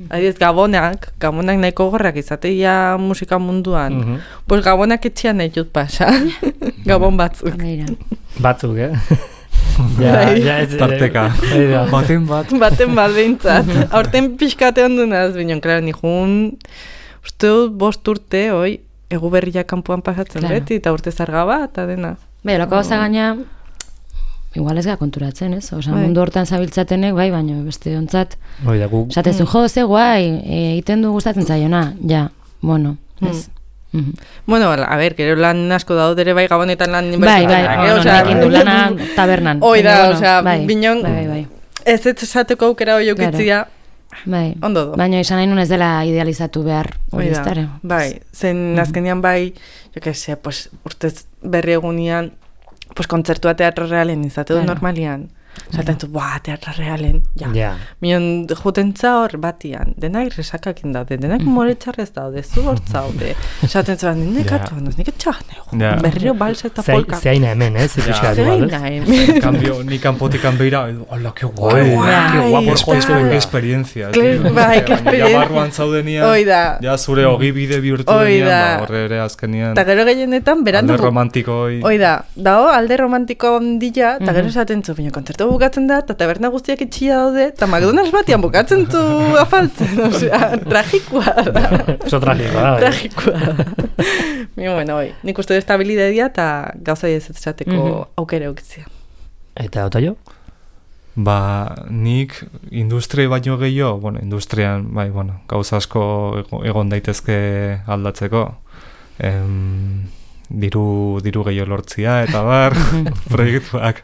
Adibidez, gabonak nahiko gorrak izateia musika munduan. Pues gabonak etxean nahi jut pasa. Gabon batzuk. Batzuk, Tarteka. Baten bat behintzat. Aurten pixkate ondunaz, bineon, klaro, nihun, uste dut 5 urte, egu berriak kanpoan pasatzen beti, eta urte zarga bat, eta dena. Loko gauza gaina, igual ez gara konturatzen, ez? Mundu hortan zabiltzatenek, bai, baina beste ontzat. Zatezu, ze guai, egiten du gustatzen zaiona, ez? Bueno, a ver, gero lan asko daude ere bai gabonetan lan Bai, inbertsioak. du lana tabernan. Hoi da, Baina, osea, bai, binon, bai. ez esateko aukera hoi okitzia, Bai. ondo do. Baina izan nahi nun ez dela idealizatu behar hori ez dara. Bai, zen azkenean bai, jo que se, pues, urtez berri egunian, pues, kontzertua teatro realen izate du normalian. Zaten zu, teatro realen, ja. Minon, jutentza hor batian, denak resakakin daude, denak moretxarrez daude, zu hortzaude. Zaten zu, nik etxak berrio balsa eta polka. Zeaina hemen, zikuska dugu, En cambio, ni kanpotikan beira, hola, que guai, que guapo, que experiencia. Bai, que experiencia. Ja barruan zaudenian, ja zure ogibide bihurtu denian, horre ere azkenian. Eta gero gehienetan, berandu. Alde romantiko hoi. Dao, alde romantiko ondila, eta gero esaten zu, baina kontzertu bukatzen da, eta taberna guztiak itxia daude, eta McDonald's batian bukatzen zu afaltzen, osea, tragikoa da. Oso tragikoa da. Tragikoa da. Bueno, nik uste estabilidadia eta gauza ez esateko aukera eukitzia. Eta Otoio? Nik industria baino gehiago, industrian, gauza asko egon daitezke aldatzeko. Diru gehiago lortzia eta bar proiektuak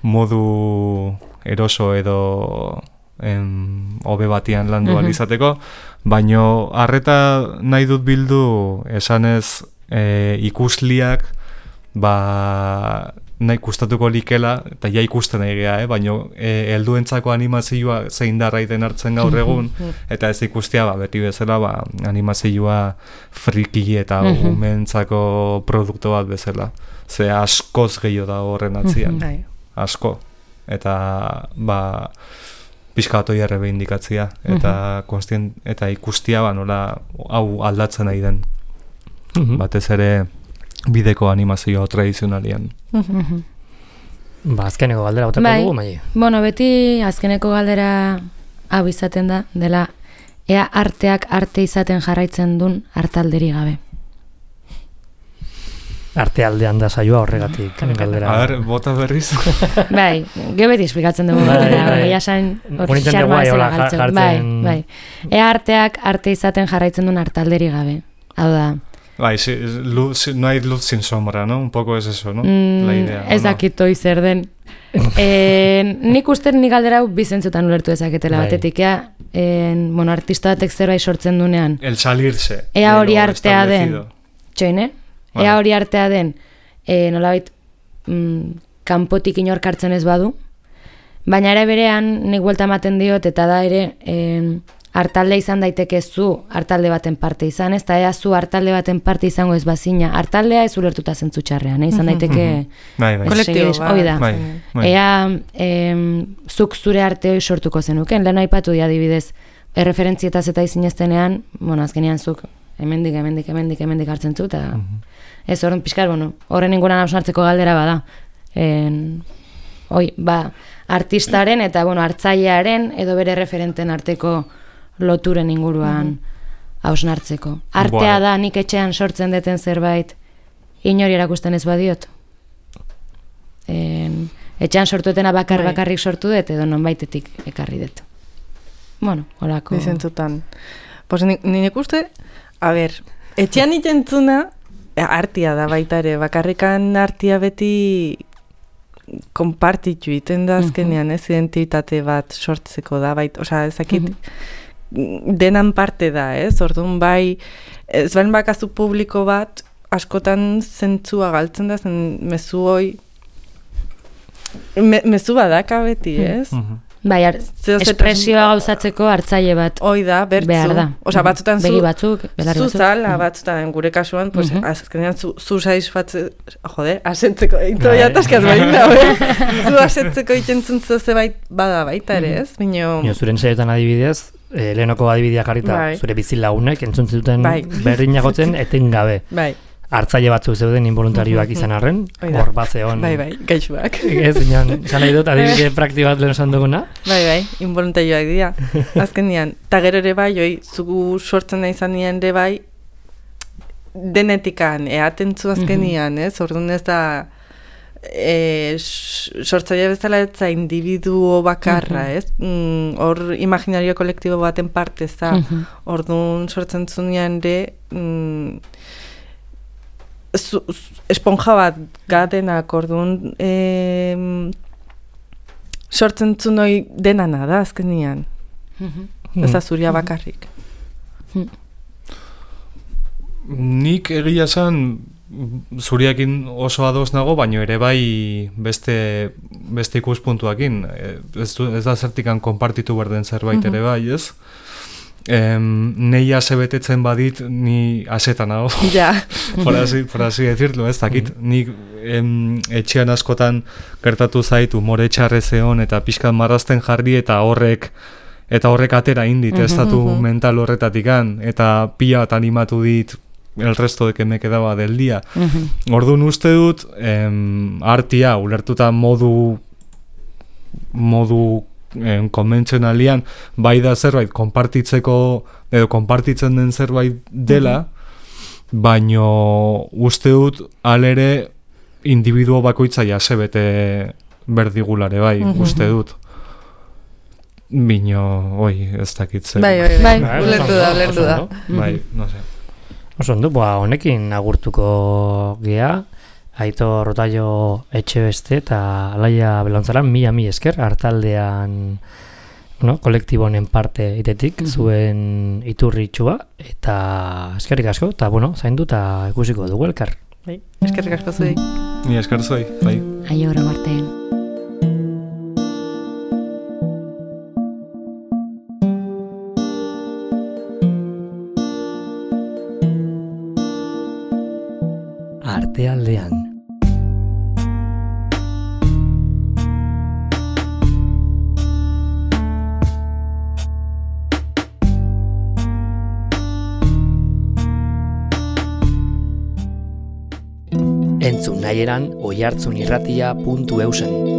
modu eroso edo hobe batian landu alizateko, baino harreta nahi dut bildu esanez ikusliak nahi kustatuko likela, eta ja ikusten egia, baino helduentzako animazioa zein darraiten hartzen gaur egun, eta ez ikustea beti bezala animazioa friki eta umentzako produktu bat bezala. Ze askoz gehiago da horren atzian. Asko. Eta pixka bat oia errebindikatzia, eta ikustia nola hau aldatzen nahi den. Batez ere bideko animazioa tradizionalian. Azkeneko galdera botako dugu, Mai? Bueno, beti azkeneko galdera hau izaten da, dela ea arteak arte izaten jarraitzen duen artalderi gabe. Arte aldean da saioa horregatik galdera. A ver, bota berriz. Bai, geho beti esplikatzen dugu galdera, esan hori xarma ezela galtzen. Bai. Ea arteak arte izaten jarraitzen duen artalderi gabe. Hau da, no hay luz sin sombra, ¿no? Un poco es eso, ¿no? La idea. Ez dakitoi zer den. Nik uste nik galdera bizentzutan ulertu ezaketela batetik. Artista batek zerbait sortzen dunean. El salirse. Ea hori artea den. Txoine? Ea hori artea den. Nolabait kanpotik inork hartzen ez badu. Baina ere berean nik buelta ematen diot eta da ere artalde izan daiteke zu artalde baten parte izan, ez da ea zu artalde baten parte izango ez bazina, artaldea ez ulertuta zentzu txarrean, izan daiteke kolektibo, ea zuk zure arte hori sortuko zenuken, lehen aipatu di adibidez, erreferentzietaz eta izineztenean, azkenean zuk hemendik hartzen zu, eta ez horren pixkar, horren inguran hausnartzeko galdera bada, artistaren eta hartzailearen edo bere referenten arteko loturen inguruan hausnartzeko. Artea da nik etxean sortzen deten zerbait inori erakusten ez badiot. Etxean sortuetena bakarrik sortu dut edo nonbaitetik ekarri dut. Holako. Dizentzutan. Pues nik uste, etxean itentzuna artia da baita ere, bakarrikan artia beti konpartitu iten da azkenean, ez identitate bat sortzeko da, ezakit denan parte da, ez? Orduan ez bain bakazu publiko bat, askotan zentzua galtzen da, zen mezu hoi, mezu badaka beti, ez? Espresioa gauzatzeko hartzaile bat behar da. Osa, batzutan begi batzuk, belar batzuk. Zuzala, batzutan gure kasuan, azkenean zu saizfatze, asetzeko, ito jataskaz baina, zu asetzeko itentzun zebait bada baita ere, ez? Zuren saiotan adibidez, lehenoko adibidea jarrita, zure bizilagunek entzun zuten berdinagotzen etengabe. Hartzaile batzuk zeuden involuntarioak izan arren, hor bat zeon. Gaixuak. Ez, inan, nahi dut, adibide prakti bat lehen esan duguna. Involuntarioak dira. Azkenean, eta gero ere zugu sortzen nahi izan nien ere denetikan, eatentzu azkenean, ez? Orduan ez da, sortzaile bezala ez individuo bakarra, ez? Hor imaginario kolektibo baten parte ez da. Orduan sortzen zunean ere, esponja bat gatenak, orduan sortzen zunoi denana da azkenian. Ez da zuria bakarrik. Nik egia esan zuriakin oso ados nago, baino ere bai beste ikuspuntuakin. Ez da zertikan konpartitu behar den zerbait ere bai, ez? Nei ase betetzen badit, ni asetan nago. Ja. por así decirlo, ez dakit. Nik etxean askotan gertatu zait umore txarrez egon eta pixkat marrazten jarri eta horrek atera indit, estatu mental horretatikan, eta pila bat animatu dit el resto de que me quedaba del día. Orduan uste dut, artia, ulertuta modu konbentzionalian, bai da zerbait konpartitzeko, edo konpartitzen den zerbait dela, baino uste dut alere individuo bakoitza jase bete berdigulare bai, uste dut. Bino, ez dakitze. Bai, ulertu da. Bai, no sé. Oso ondo, honekin agurtuko gea, Aitor Rotaio Etxebeste eta Alaia Belontzara, mila esker, hartaldean kolektibonen parte itetik, zuen iturritxua, eta eskerrik asko, eta zaindu eta ikusiko dugu elkar. Bai, eskerrik asko zuei. Ni esker zuei, bai. Aio hori marteen. Artealdean. Entzun nahieran oihartzunirratia.eusen.